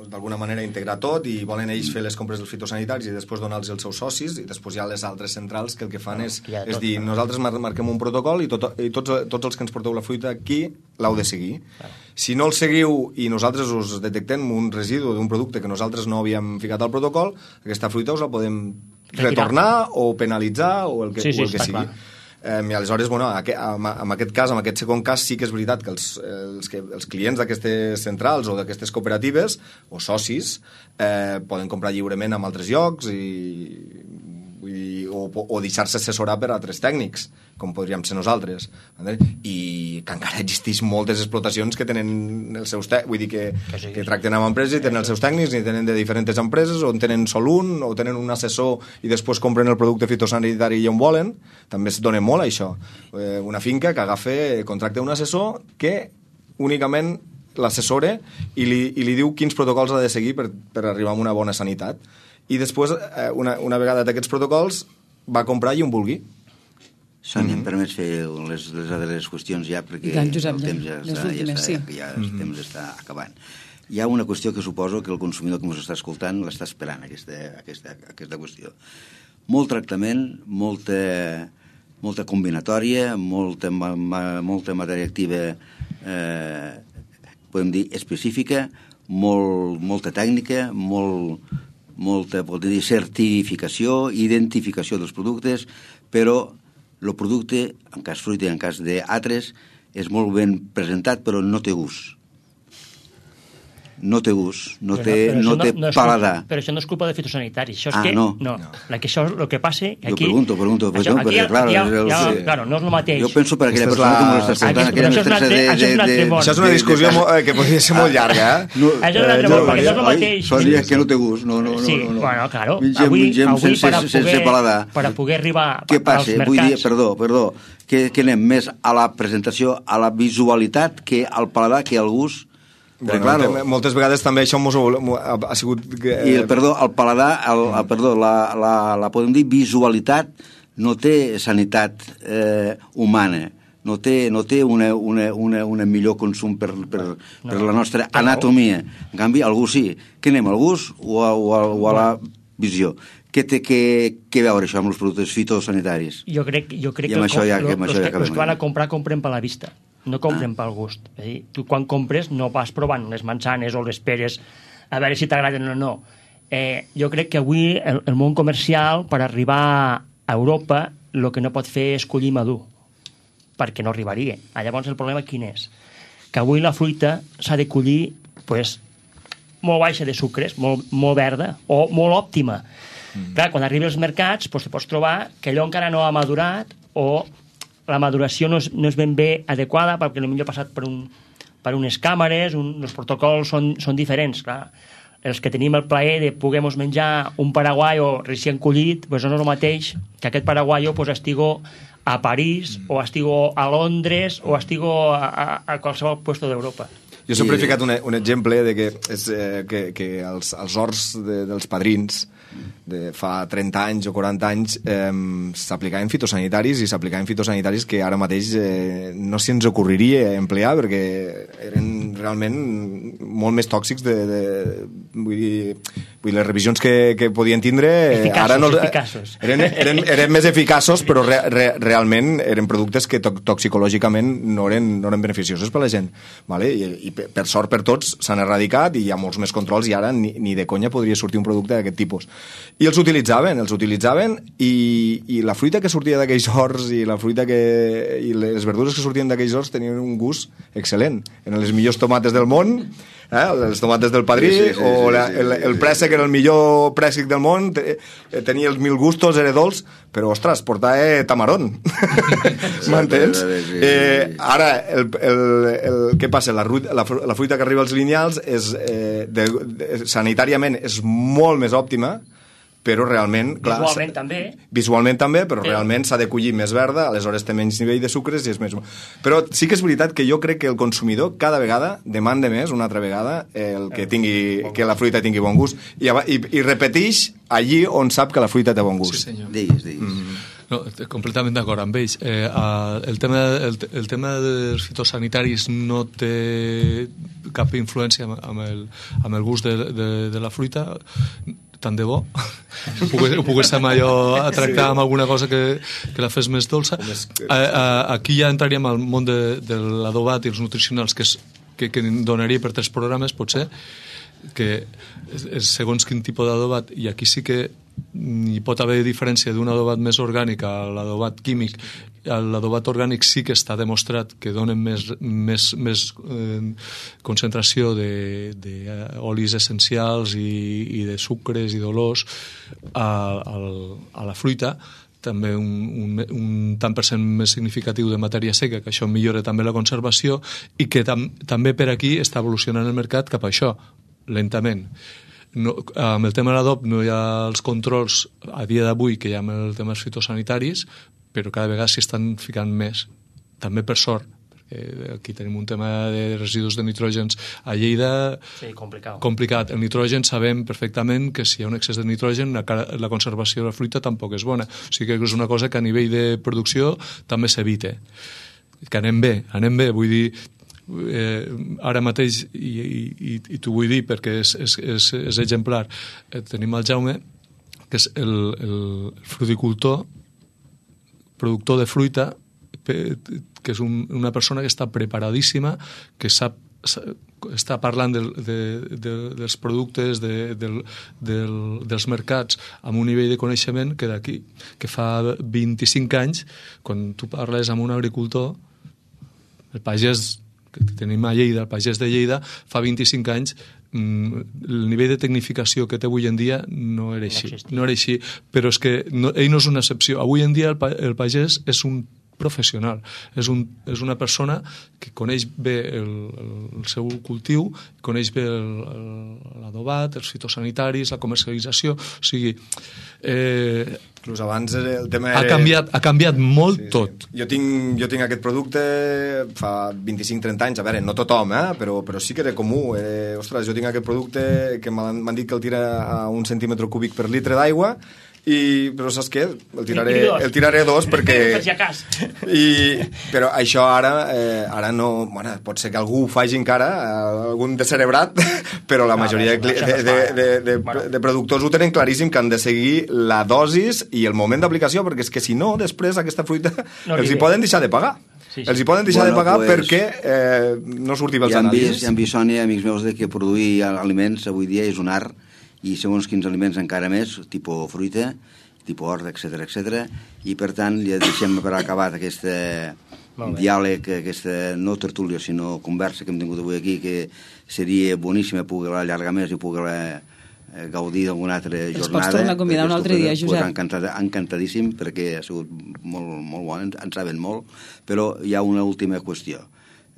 S5: d'alguna manera integrar tot i volen ells fer les compres dels fitosanitaris i després donar-los als seus socis, i després hi ha les altres centrals que el que fan és, ja, és dir, nosaltres marquem un protocol i, tot, i tots, tots els que ens porteu la fruita aquí l'heu de seguir. Clar. Si no el seguiu i nosaltres us detectem un residu d'un producte que nosaltres no havíem ficat al protocol, aquesta fruita us la podem retornar o penalitzar o el que,
S4: sí, sí,
S5: o el que sigui. Eh, I aleshores, bueno, en aquest cas, en aquest segon cas, sí que és veritat que els, els, que, els clients d'aquestes centrals o d'aquestes cooperatives o socis eh, poden comprar lliurement en altres llocs i vull o, o deixar-se assessorar per altres tècnics, com podríem ser nosaltres. I que encara existeix moltes explotacions que tenen els seus tècnics, vull dir que, que tracten amb empreses i tenen els seus tècnics, i tenen de diferents empreses, o en tenen sol un, o tenen un assessor i després compren el producte fitosanitari i on volen. També es dona molt això. Una finca que agafa, contracta un assessor que únicament l'assessora i li, i li diu quins protocols ha de seguir per, per arribar a una bona sanitat. I després, una, una vegada d'aquests protocols, va comprar i on vulgui.
S3: Sònia, mm-hmm. em permets fer les, les altres qüestions ja, perquè
S2: tant, Josep,
S3: el temps ja, està, ja, està,
S2: sí.
S3: ja el mm-hmm. temps està acabant. Hi ha una qüestió que suposo que el consumidor que ens està escoltant l'està esperant, aquesta, aquesta, aquesta qüestió. Molt tractament, molta, molta combinatòria, molta, ma, molta matèria activa, eh, podem dir, específica, molt, molta tècnica, molt, molta, podem dir, certificació, identificació dels productes, però el producte, en cas fruita i en cas d'altres, és molt ben presentat, però no té gust. No té gust, no té, no, no té no, no paladar.
S4: Però això no és culpa de fitosanitaris. Això és
S3: ah,
S4: que,
S3: no.
S4: no. no. La que això és el que passa... Aquí,
S3: jo pregunto, pregunto.
S4: Això,
S3: no,
S4: aquí,
S3: perquè, clar,
S4: ja,
S3: el,
S4: ja,
S3: sí.
S4: claro, no és el mateix.
S3: Jo penso per aquella
S5: Aquesta
S3: persona
S5: la...
S3: que m'ho està escoltant...
S4: Aquí, això, és una, de, això és un altre món.
S5: Això és una discussió de, de, que podria ser molt llarga, eh?
S3: No,
S4: això és un altre món, perquè no és el mateix.
S3: Sònia, que no té gust. No, no, no,
S4: sí,
S3: no, no.
S4: bueno, claro.
S3: Mingem,
S4: avui,
S3: mingem
S4: avui
S3: sense,
S4: per, a poder,
S3: sense paladar.
S4: per a poder arribar
S3: Què
S4: als
S3: passa?
S4: mercats...
S3: Vull dir, perdó, perdó, que, que anem més a la presentació, a la visualitat, que al paladar, que al gust.
S5: Bueno,
S3: claro,
S5: moltes vegades també això mos ha, ha sigut... Que...
S3: I el, perdó, el paladar, el, el, perdó, la, la, la podem dir visualitat, no té sanitat eh, humana, no té, no té una, una, una, una millor consum per, per, no. per la nostra anatomia. En canvi, algú sí. Què anem, al gust o a, o a, o a la visió? Què té que, que veure això amb els productes fitosanitaris?
S4: Jo crec, jo crec
S3: que,
S4: que,
S3: ja,
S4: lo,
S3: que
S4: los,
S3: ja
S4: que, los que van a comprar compren per la vista, no compren ah. pel gust. És a dir, tu quan compres no vas provant les manzanes o les peres a veure si t'agraden o no. Eh, jo crec que avui el, el món comercial, per arribar a Europa, el que no pot fer és collir madur, perquè no arribaria. Ah, llavors el problema quin és? Que avui la fruita s'ha de collir pues, molt baixa de sucres, molt, molt verda o molt òptima. Mm. Clar, quan arribi als mercats pues, te pots trobar que allò encara no ha madurat o la maduració no és, no és ben bé adequada perquè potser ha passat per, un, per unes càmeres, un, els protocols són, són diferents. Clar. Els que tenim el plaer de poder menjar un paraguayo recient collit, pues no és el mateix que aquest paraguayo pues, estigo a París mm. o estigo a Londres o estigo a, a, a qualsevol puesto d'Europa.
S5: Jo sempre he ficat un, un exemple de que, és, eh, que, que els, els horts de, dels padrins de fa trenta anys o quaranta anys eh, s'aplicaven fitosanitaris i s'aplicaven fitosanitaris que ara mateix eh, no se'ns ocorreria emplear perquè eren realment molt més tòxics de, de, vull dir, vull dir les revisions que, que podien tindre
S4: eficaços,
S5: ara no,
S4: eficaços.
S5: Eren, eren, eren més eficaços però re, re, realment eren productes que to, toxicològicament no eren, no eren beneficiosos per la gent, vale? I, i per sort per tots s'han erradicat i hi ha molts més controls i ara ni, ni de conya podria sortir un producte d'aquest tipus. I els utilitzaven, els utilitzaven i, i la fruita que sortia d'aquells horts i la fruita que, i les verdures que sortien d'aquells horts tenien un gust excel·lent. Eren les millors tomates del món, eh? Les tomates del padrí, sí, sí, sí, o la, el, el préssec era el millor préssec del món, tenia els mil gustos, era dolç, però, ostres, portava tamarón. M'entens? Eh, ara, el, el, el, què passa? La, la, la fruita que arriba als lineals és, eh, de, de, sanitàriament és molt més òptima, però realment... Clar,
S4: visualment també.
S5: Visualment també, però, però realment s'ha de collir més verda, aleshores té menys nivell de sucres i és més... Però sí que és veritat que jo crec que el consumidor cada vegada demanda més, una altra vegada, el que, tingui, que la fruita tingui bon gust i, i, i repeteix allí on sap que la fruita té bon gust.
S6: Sí, senyor.
S3: Digues, digues.
S6: Mm-hmm. No, completament d'acord amb ells. Eh, el, tema, el, el tema dels fitosanitaris no té cap influència amb el, amb el gust de, de, de la fruita, tant de bo ho pogués, ho poguéssim allò a tractar amb alguna cosa que, que la fes més dolça. A, a, aquí ja entraríem al món de, de l'adobat i els nutricionals que, és, que, que donaria per tres programes potser, que segons quin tipus d'adobat, i aquí sí que hi pot haver diferència d'un adobat més orgànic a l'adobat químic. L'adobat orgànic sí que està demostrat que donen més, més, més eh, concentració d'olis essencials i, i de sucres i d'olors a, a, a la fruita, també un, un, un tant per cent més significatiu de matèria seca, que això millora també la conservació, i que tam, també per aquí està evolucionant el mercat cap a això, lentament. No, amb el tema de l'adob no hi ha els controls a dia d'avui que hi ha amb el tema dels fitosanitaris, però cada vegada s'hi estan ficant més, també per sort, perquè aquí tenim un tema de residus de nitrógens a Lleida,
S4: sí, complicat.
S6: complicat. El nitrogen sabem perfectament que si hi ha un excés de nitrogen la, la conservació de la fruita tampoc és bona, o sigui que és una cosa que a nivell de producció també s'evita, que anem bé, anem bé, vull dir, Eh, ara mateix i, i, i t'ho vull dir perquè és, és, és, és exemplar, eh, tenim el Jaume, que és el, el fruticultor, productor de fruita, que és un, una persona que està preparadíssima, que sap, està parlant del, de, de, dels productes, de, del, del, dels mercats, amb un nivell de coneixement que d'aquí, que fa vint-i-cinc anys, quan tu parles amb un agricultor, el pagès que tenim a Lleida, el pagès de Lleida, fa vint-i-cinc anys el nivell de tecnificació que té avui en dia no era així, no era així, però és que no, ell no és una excepció. Avui en dia el, el pagès és un professional, és, un, és una persona que coneix bé el, el seu cultiu, coneix bé l'adobat, els fitosanitaris, la comercialització, o sigui... Eh,
S5: Inclús abans el tema...
S6: Ha canviat, ha canviat molt sí, tot.
S5: Sí. Jo, tinc, jo tinc aquest producte fa vint-i-cinc trenta anys, a veure, no tothom, eh? però, però sí que era comú. Eh, ostres, jo tinc aquest producte que m'han dit que el tira a un centímetre cúbic per litre d'aigua, i, però saps què? El tiraré, el tiraré dos perquè... I, però això ara, eh, ara no... Bueno, pot ser que algú ho faci encara, algun descerebrat, però la majoria de, de, de, de, de, de productors ho tenen claríssim, que han de seguir la dosis i el moment d'aplicació, perquè és que si no, després aquesta fruita no els hi poden deixar de pagar. Sí, sí. Els hi poden deixar bueno, de pagar pues, perquè eh, no surti els anàlisis.
S3: Ja han vist, Sònia, amics meus, de que produir aliments avui dia és un art, i segons quins aliments encara més, tipus fruita, tipus hort, etcètera, etcètera, i per tant ja deixem per acabat aquest diàleg, aquesta no tertúlia, sinó conversa que hem tingut avui aquí, que seria boníssima poder-la allargar més i poder-la gaudir d'alguna altra jornada.
S2: Els pots tornar a convidar un altre dia, Josep.
S3: Encantat, encantadíssim, perquè ha sigut molt, molt bo, en saben molt, però hi ha una última qüestió.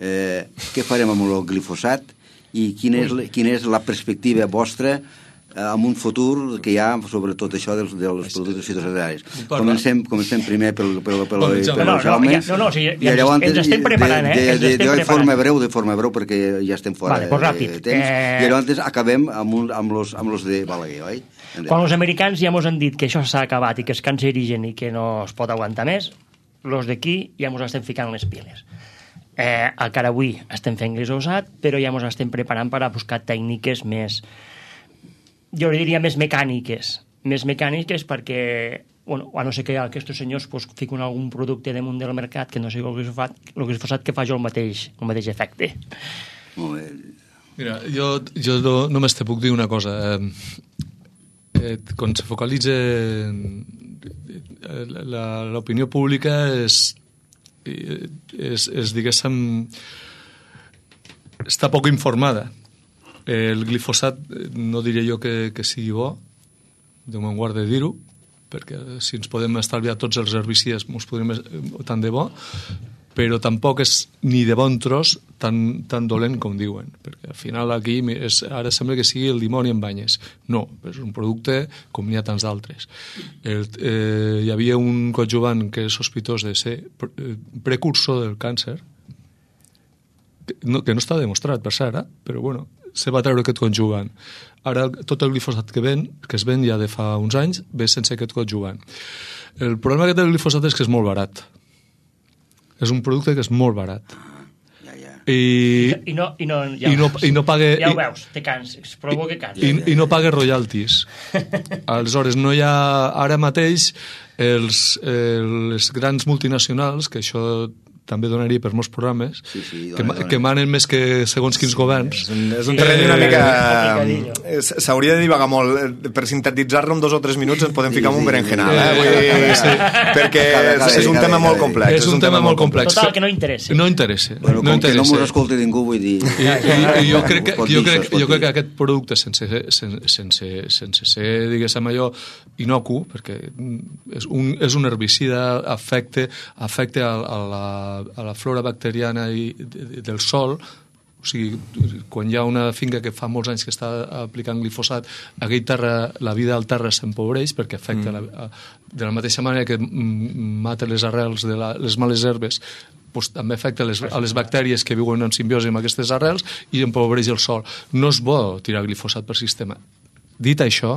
S3: Eh, què farem amb el glifosat i quina és, quina és la perspectiva vostra amb un futur que hi ha sobre tot això dels, dels productes fitosanitaris. Comencem, comencem primer pel, pel, pel, pel
S4: no,
S3: Jaume.
S4: No, no, no, sí, ja ens, ens estem preparant, eh?
S3: De, de, de, de forma breu, de forma breu, perquè ja estem fora
S4: vale, pues ràpid.
S3: de temps. Eh... I llavors acabem amb, un, amb, los, amb los de Balaguer, oi?
S4: Quan els americans ja ens han dit que això s'ha acabat i que és cancerigen i que no es pot aguantar més, els d'aquí ja ens estem ficant les piles. Eh, encara avui estem fent glifosat, però ja ens estem preparant per a buscar tècniques més... jo diria més mecàniques, més mecàniques perquè, bueno, a no ser que aquests senyors pues, fiquen algun producte damunt del mercat que no sigui el glifosat, el glifosat que fa jo el mateix, el mateix efecte.
S3: Molt bé.
S6: Mira, jo, jo no, només te puc dir una cosa. Eh, eh, quan se focalitza l'opinió pública és, és, és diguéssim, està poc informada. El glifosat no diré jo que, que sigui bo, Déu me'n guarda de dir-ho, perquè si ens podem estalviar tots els herbicides ens podrem tant de bo, però tampoc és ni de bon tros tan, tan dolent com diuen, perquè al final aquí és, ara sembla que sigui el dimoni en banyes. No, és un producte com n'hi ha tants d'altres. El, eh, hi havia un coadjuvant que és sospitós de ser precursor del càncer, que no, que no està demostrat per cert, eh? Però bueno, se va treure aquest coadjuvant. Ara tot el glifosat que ven, que es ven ja de fa uns anys, ve sense aquest coadjuvant. El problema que té el glifosat és que és molt barat. És un producte que és molt barat.
S3: Ja, ja.
S6: I,
S4: I, no, i, no, ja
S6: i, no, i no pague...
S4: Ja ho veus, te cans, provoca cans.
S6: I, i no pague royalties. Aleshores, no hi ha... Ara mateix, els, els grans multinacionals, que això també donaria per molts programes,
S3: sí, sí, dona,
S6: que,
S3: dona.
S6: que manen més que segons quins sí, governs.
S5: És un, és un terreny una mica... S'hauria de divagar molt. Per sintetitzar-lo en dos o tres minuts ens podem ficar sí, en un berenjenal, eh? Vull dir, sí. Perquè cada, cada, és un cada, tema cada, molt complex.
S6: És un, un tema molt complex.
S4: Total, que no interessa.
S6: No interessa.
S3: Bueno,
S6: no
S3: com
S6: interessa.
S3: que no mos escolti ningú, vull dir...
S6: I, i, i jo, crec que, jo, crec, jo crec que aquest producte, sense, sense, sense, sense ser, diguéssim allò, inocu, perquè és un, és un herbicida, afecta, afecta a, a, la, a la flora bacteriana i, de, del sol. O sigui, quan hi ha una finca que fa molts anys que està aplicant glifosat, aquell terra, la vida del terra s'empobreix perquè afecta mm. la, de la mateixa manera que mata les arrels de la, les males herbes, doncs també afecta les, a les bactèries que viuen en simbiosi amb aquestes arrels i empobreix el sol. No és bo tirar glifosat per sistema. Dit això,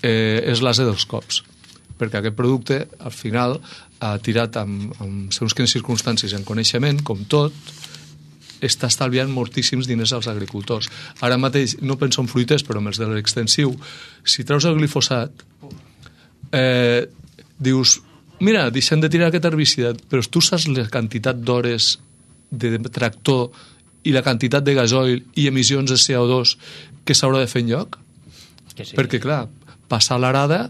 S6: eh, és l'ase dels cops, perquè aquest producte, al final, ha tirat amb, amb segons quines circumstàncies en coneixement, com tot, està estalviant moltíssims diners als agricultors. Ara mateix, no penso en fruiters, però amb els de l'extensiu, si treus el glifosat, eh, dius, mira, deixem de tirar aquest herbicida, però tu saps la quantitat d'hores de tractor i la quantitat de gasoil i emissions de C O dos que s'haurà de fer en lloc?
S4: Que sí.
S6: Perquè, clar, passar l'arada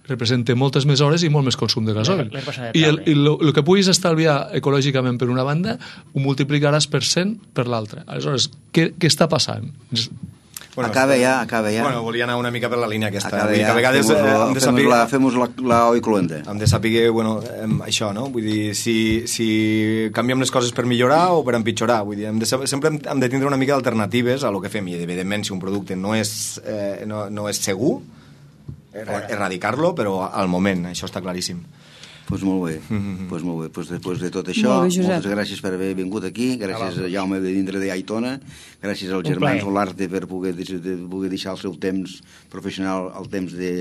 S6: representa moltes més hores i molt més consum de gasoil. I el, el, el que puguis estalviar ecològicament per una banda ho multiplicaràs per cent per l'altra. Aleshores, què, què està passant?
S3: Bueno, acaba ja, acaba ja.
S5: Bueno, volia anar una mica per la línia aquesta.
S3: Acaba
S5: ja.
S3: A vegades
S5: fem-nos
S3: la, hem de saber... la, fem-nos la, la oi cloenda.
S5: Hem de saber, bueno, això, no? Vull dir, si, si canviem les coses per millorar o per empitjorar. Vull dir, hem de saber, sempre hem de tindre una mica d'alternatives a lo que fem. I, evidentment, si un producte no és, eh, no, no és segur, erradicar-lo, però al moment, això està claríssim.
S3: Pues molt bé, mm-hmm. pues molt bé. Pues després de tot això, bé, moltes gràcies per haver vingut aquí, gràcies a Jaume de dintre d'Aitona, gràcies als germans Olarte per poder, de, poder deixar el seu temps professional, el temps de,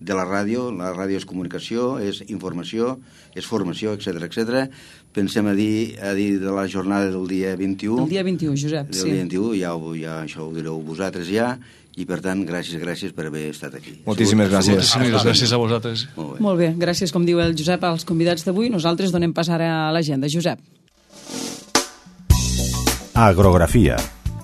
S3: de la ràdio. La ràdio és comunicació, és informació, és formació, etcètera, etcètera. Pensem a dir, a dir de la jornada del dia vint-i-u.
S2: El dia vint-i-u, Josep,
S3: del sí. Del dia vint-i-u, ja, ja això ho direu vosaltres ja. I, per tant, gràcies, gràcies per haver estat aquí.
S5: Moltíssimes gràcies.
S6: Moltíssimes gràcies a vosaltres.
S3: Molt bé.
S2: Molt bé, gràcies, com diu el Josep, als convidats d'avui. Nosaltres donem pas ara a l'agenda. Josep.
S1: Agrografia,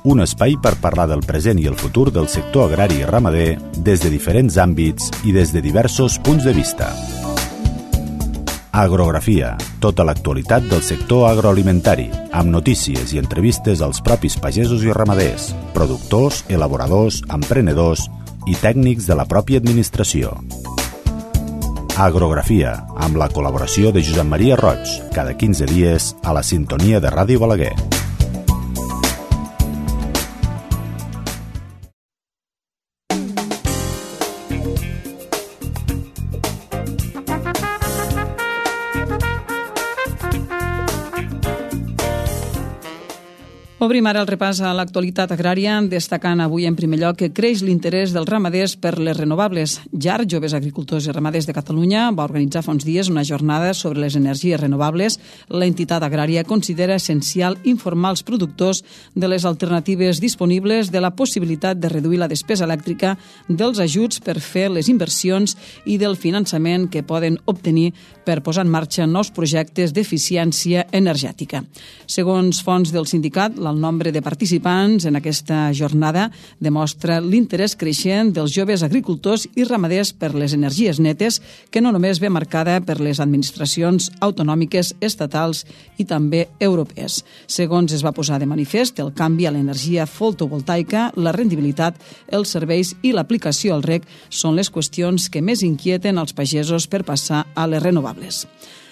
S1: un espai per parlar del present i el futur del sector agrari i ramader des de diferents àmbits i des de diversos punts de vista. Agrografia, tota l'actualitat del sector agroalimentari, amb notícies i entrevistes als propis pagesos i ramaders, productors, elaboradors, emprenedors i tècnics de la pròpia administració. Agrografia, amb la col·laboració de Josep Maria Roig, cada quinze dies a la sintonia de Ràdio Balaguer.
S2: Obrim ara el repàs a l'actualitat agrària, destacant avui en primer lloc que creix l'interès dels ramaders per les renovables. J A R, Joves Agricultors i Ramaders de Catalunya, va organitzar fa uns dies una jornada sobre les energies renovables. La entitat agrària considera essencial informar els productors de les alternatives disponibles, de la possibilitat de reduir la despesa elèctrica, dels ajuts per fer les inversions i del finançament que poden obtenir per posar en marxa nous projectes d'eficiència energètica. Segons fonts del sindicat, el nombre de participants en aquesta jornada demostra l'interès creixent dels joves agricultors i ramaders per les energies netes, que no només ve marcada per les administracions autonòmiques, estatals i també europees. Segons es va posar de manifest, el canvi a l'energia fotovoltaica, la rendibilitat, els serveis i l'aplicació al reg són les qüestions que més inquieten els pagesos per passar a les renovables.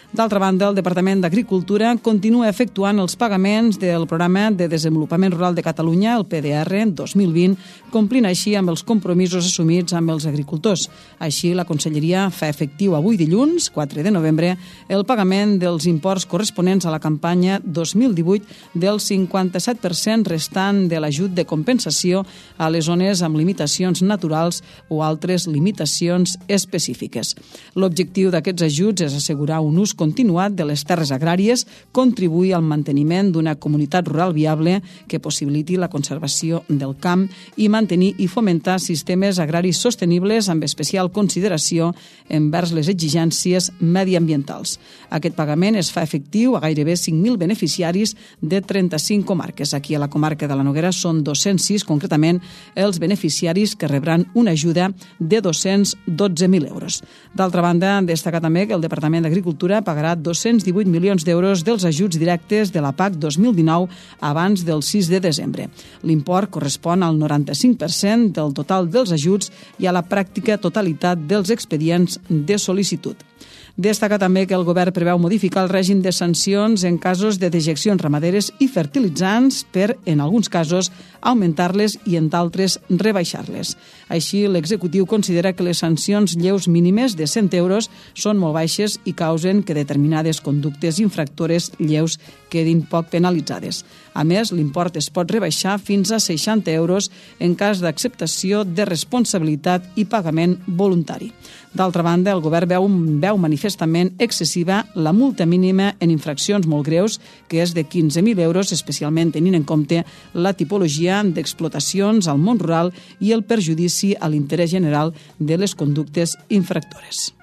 S2: D'altra banda, el Departament d'Agricultura continua efectuant els pagaments del Programa de Desenvolupament Rural de Catalunya, el P D R dos mil vint, complint així amb els compromisos assumits amb els agricultors. Així, la Conselleria fa efectiu avui dilluns, quatre de novembre, el pagament dels imports corresponents a la campanya dos mil divuit del cinquanta-set per cent restant de l'ajut de compensació a les zones amb limitacions naturals o altres limitacions específiques. L'objectiu d'aquests ajuts és assegurar un ús continuat de les terres agràries, contribuir al manteniment d'una comunitat rural viable que possibiliti la conservació del camp i mantenir i fomentar sistemes agraris sostenibles amb especial consideració envers les exigències mediambientals. Aquest pagament es fa efectiu a gairebé cinc mil beneficiaris de trenta-cinc comarques. Aquí a la comarca de la Noguera són dos-cents sis, concretament, els beneficiaris que rebran una ajuda de dos-cents dotze mil euros. D'altra banda, destaca també que el Departament d'Agricultura pagarà dos-cents divuit milions d'euros dels ajuts directes de la P A C dos mil dinou abans del sis de desembre. L'import correspon al noranta-cinc per cent del total dels ajuts i a la pràctica totalitat dels expedients de sol·licitud. Destaca també que el govern preveu modificar el règim de sancions en casos de dejeccions ramaderes i fertilitzants per, en alguns casos, augmentar-les i, en d'altres, rebaixar-les. Així, l'executiu considera que les sancions lleus mínimes de cent euros són molt baixes i causen que determinades conductes infractores lleus quedin poc penalitzades. A més, l'import es pot rebaixar fins a seixanta euros en cas d'acceptació de responsabilitat i pagament voluntari. D'altra banda, el govern veu, veu manifestament excessiva la multa mínima en infraccions molt greus, que és de quinze mil euros, especialment tenint en compte la tipologia d'explotacions al món rural i el perjudici a l'interès general de les conductes infractores.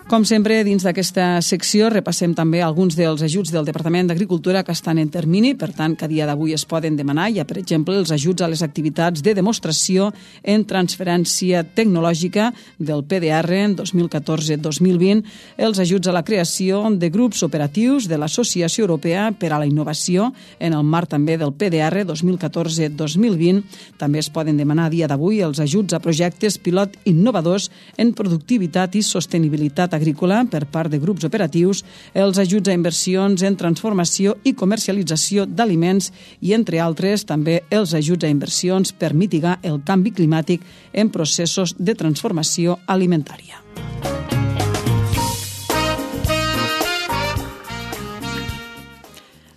S2: Com sempre, dins d'aquesta secció repassem també alguns dels ajuts del Departament d'Agricultura que estan en termini, per tant, que a dia d'avui es poden demanar. Hi ha, per exemple, els ajuts a les activitats de demostració en transferència tecnològica del P D R en dos mil catorze dos mil vint, els ajuts a la creació de grups operatius de l'Associació Europea per a la Innovació en el marc també del P D R dos mil catorze dos mil vint. També es poden demanar a dia d'avui els ajuts a projectes pilot innovadors en productivitat i sostenibilitat agrícola per part de grups operatius, els ajuts a inversions en transformació i comercialització d'aliments i, entre altres, també els ajuts a inversions per mitigar el canvi climàtic en processos de transformació alimentària.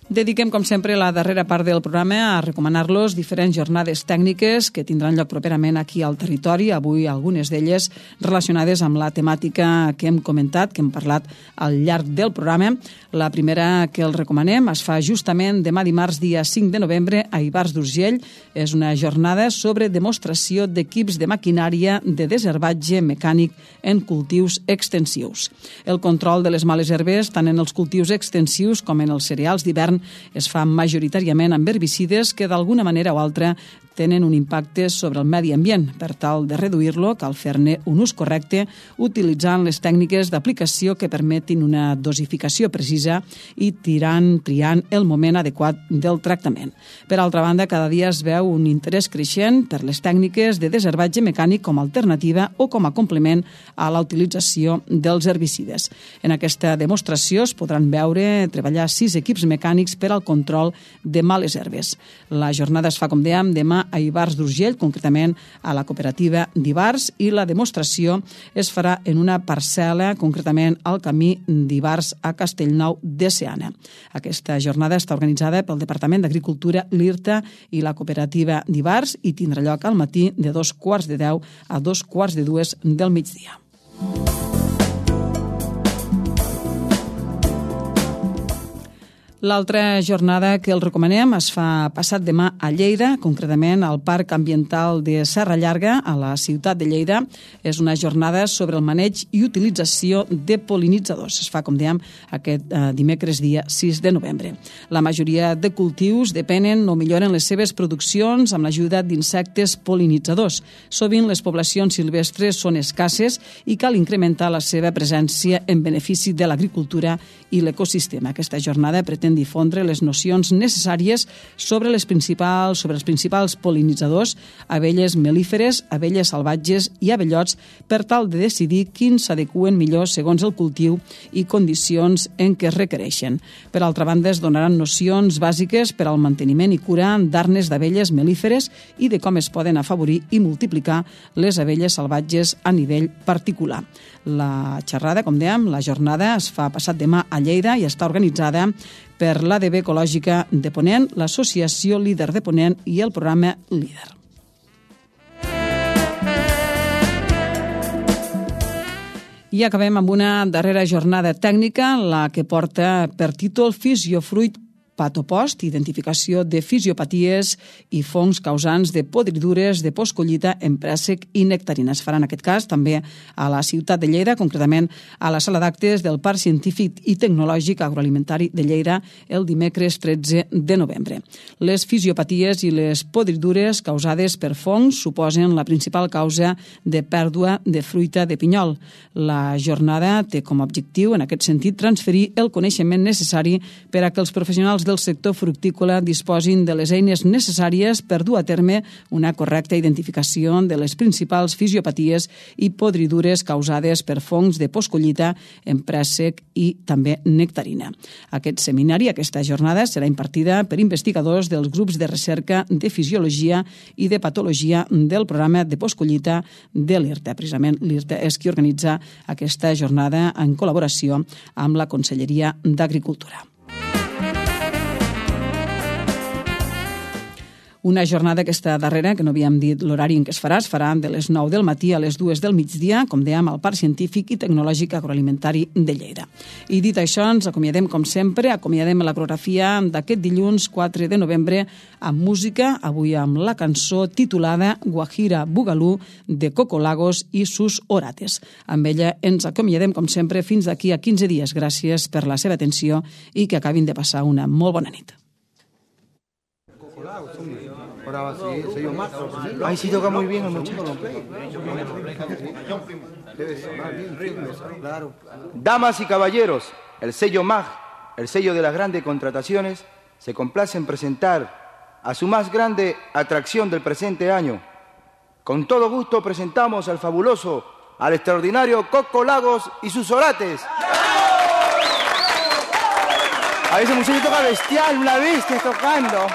S2: Dediquem, com sempre, la darrera part del programa a recomanar-los diferents jornades tècniques que tindran lloc properament aquí al territori, avui algunes d'elles relacionades amb la temàtica que hem comentat, que hem parlat al llarg del programa. La primera que els recomanem es fa justament demà dimarts, dia cinc de novembre, a Ivars d'Urgell. És una jornada sobre demostració d'equips de maquinària de desherbatge mecànic en cultius extensius. El control de les males herbes, tant en els cultius extensius com en els cereals d'hivern, es fa majoritàriament amb herbicides que d'alguna manera o altra tenen un impacte sobre el medi ambient. Per tal de reduir-lo, cal fer-ne un ús correcte utilitzant les tècniques d'aplicació que permetin una dosificació precisa i tirant, triant el moment adequat del tractament. Per altra banda, cada dia es veu un interès creixent per les tècniques de desherbatge mecànic com a alternativa o com a complement a la utilització dels herbicides. En aquesta demostració es podran veure treballar sis equips mecànics per al control de males herbes. La jornada es fa, com dèiem, demà a Ivars d'Urgell, concretament a la cooperativa d'Ivars, i la demostració es farà en una parcel·la, concretament al camí d'Ivars a Castellnou de Seana. Aquesta jornada està organitzada pel Departament d'Agricultura, l'I R T A i la cooperativa d'Ivars i tindrà lloc al matí de dos quarts de deu a dos quarts de dues del migdia. L'altra jornada que els recomanem es fa passat demà a Lleida, concretament al Parc Ambiental de Serra Llarga, a la ciutat de Lleida. És una jornada sobre el maneig i utilització de pol·linitzadors. Es fa, com dèiem, aquest eh, dimecres dia sis de novembre. La majoria de cultius depenen o milloren les seves produccions amb l'ajuda d'insectes pol·linitzadors. Sovint les poblacions silvestres són escasses i cal incrementar la seva presència en benefici de l'agricultura i l'ecosistema. Aquesta jornada pretén difondre les nocions necessàries sobre les principals sobre els principals pol·linitzadors, abelles melíferes, abelles salvatges i abellots, per tal de decidir quins s'adeqüen millor segons el cultiu i condicions en què es requereixen. Per altra banda, es donaran nocions bàsiques per al manteniment i cura d'arnes d'abelles melíferes i de com es poden afavorir i multiplicar les abelles salvatges a nivell particular. La xerrada, com dèiem, la jornada es fa passat demà a Lleida i està organitzada per l'A D B Ecològica de Ponent, l'Associació Líder de Ponent i el programa Líder. I acabem amb una darrera jornada tècnica, la que porta per títol Fisiofruit Patopost, identificació de fisiopaties i fongs causants de podridures de postcollita en préssec i nectarina. Es farà en aquest cas també a la ciutat de Lleida, concretament a la sala d'actes del Parc Científic i Tecnològic Agroalimentari de Lleida el dimecres tretze de novembre. Les fisiopaties i les podridures causades per fongs suposen la principal causa de pèrdua de fruita de pinyol. La jornada té com a objectiu, en aquest sentit, transferir el coneixement necessari per a que els professionals del sector fructícola disposin de les eines necessàries per dur a terme una correcta identificació de les principals fisiopaties i podridures causades per fongs de postcollita en préssec i també nectarina. Aquest seminari, aquesta jornada, serà impartida per investigadors dels grups de recerca de fisiologia i de patologia del programa de postcollita de l'I R T E. Precisament l'I R T E és qui organitza aquesta jornada en col·laboració amb la Conselleria d'Agricultura. Una jornada aquesta darrera, que no havíem dit l'horari en què es farà, es farà de les nou del matí a les dues del migdia, com dèiem, al Parc Científic i Tecnològic Agroalimentari de Lleida. I dit això, ens acomiadem com sempre, acomiadem la coreografia d'aquest dilluns quatre de novembre amb música, avui amb la cançó titulada Guajira Bugalú de Coco Lagos i sus orates. Amb ella ens acomiadem com sempre fins d'aquí a quinze dies. Gràcies per la seva atenció i que acabin de passar una molt bona nit.
S7: Ahora sí, sello más. Ay, sí toca muy bien el muchacho. Damas y caballeros, el sello M A G, el sello de las grandes contrataciones, se complace en presentar a su más grande atracción del presente año. Con todo gusto presentamos al fabuloso, al extraordinario Coco Lagos y sus orates. A ese muchacho toca bestial, una bestia tocando.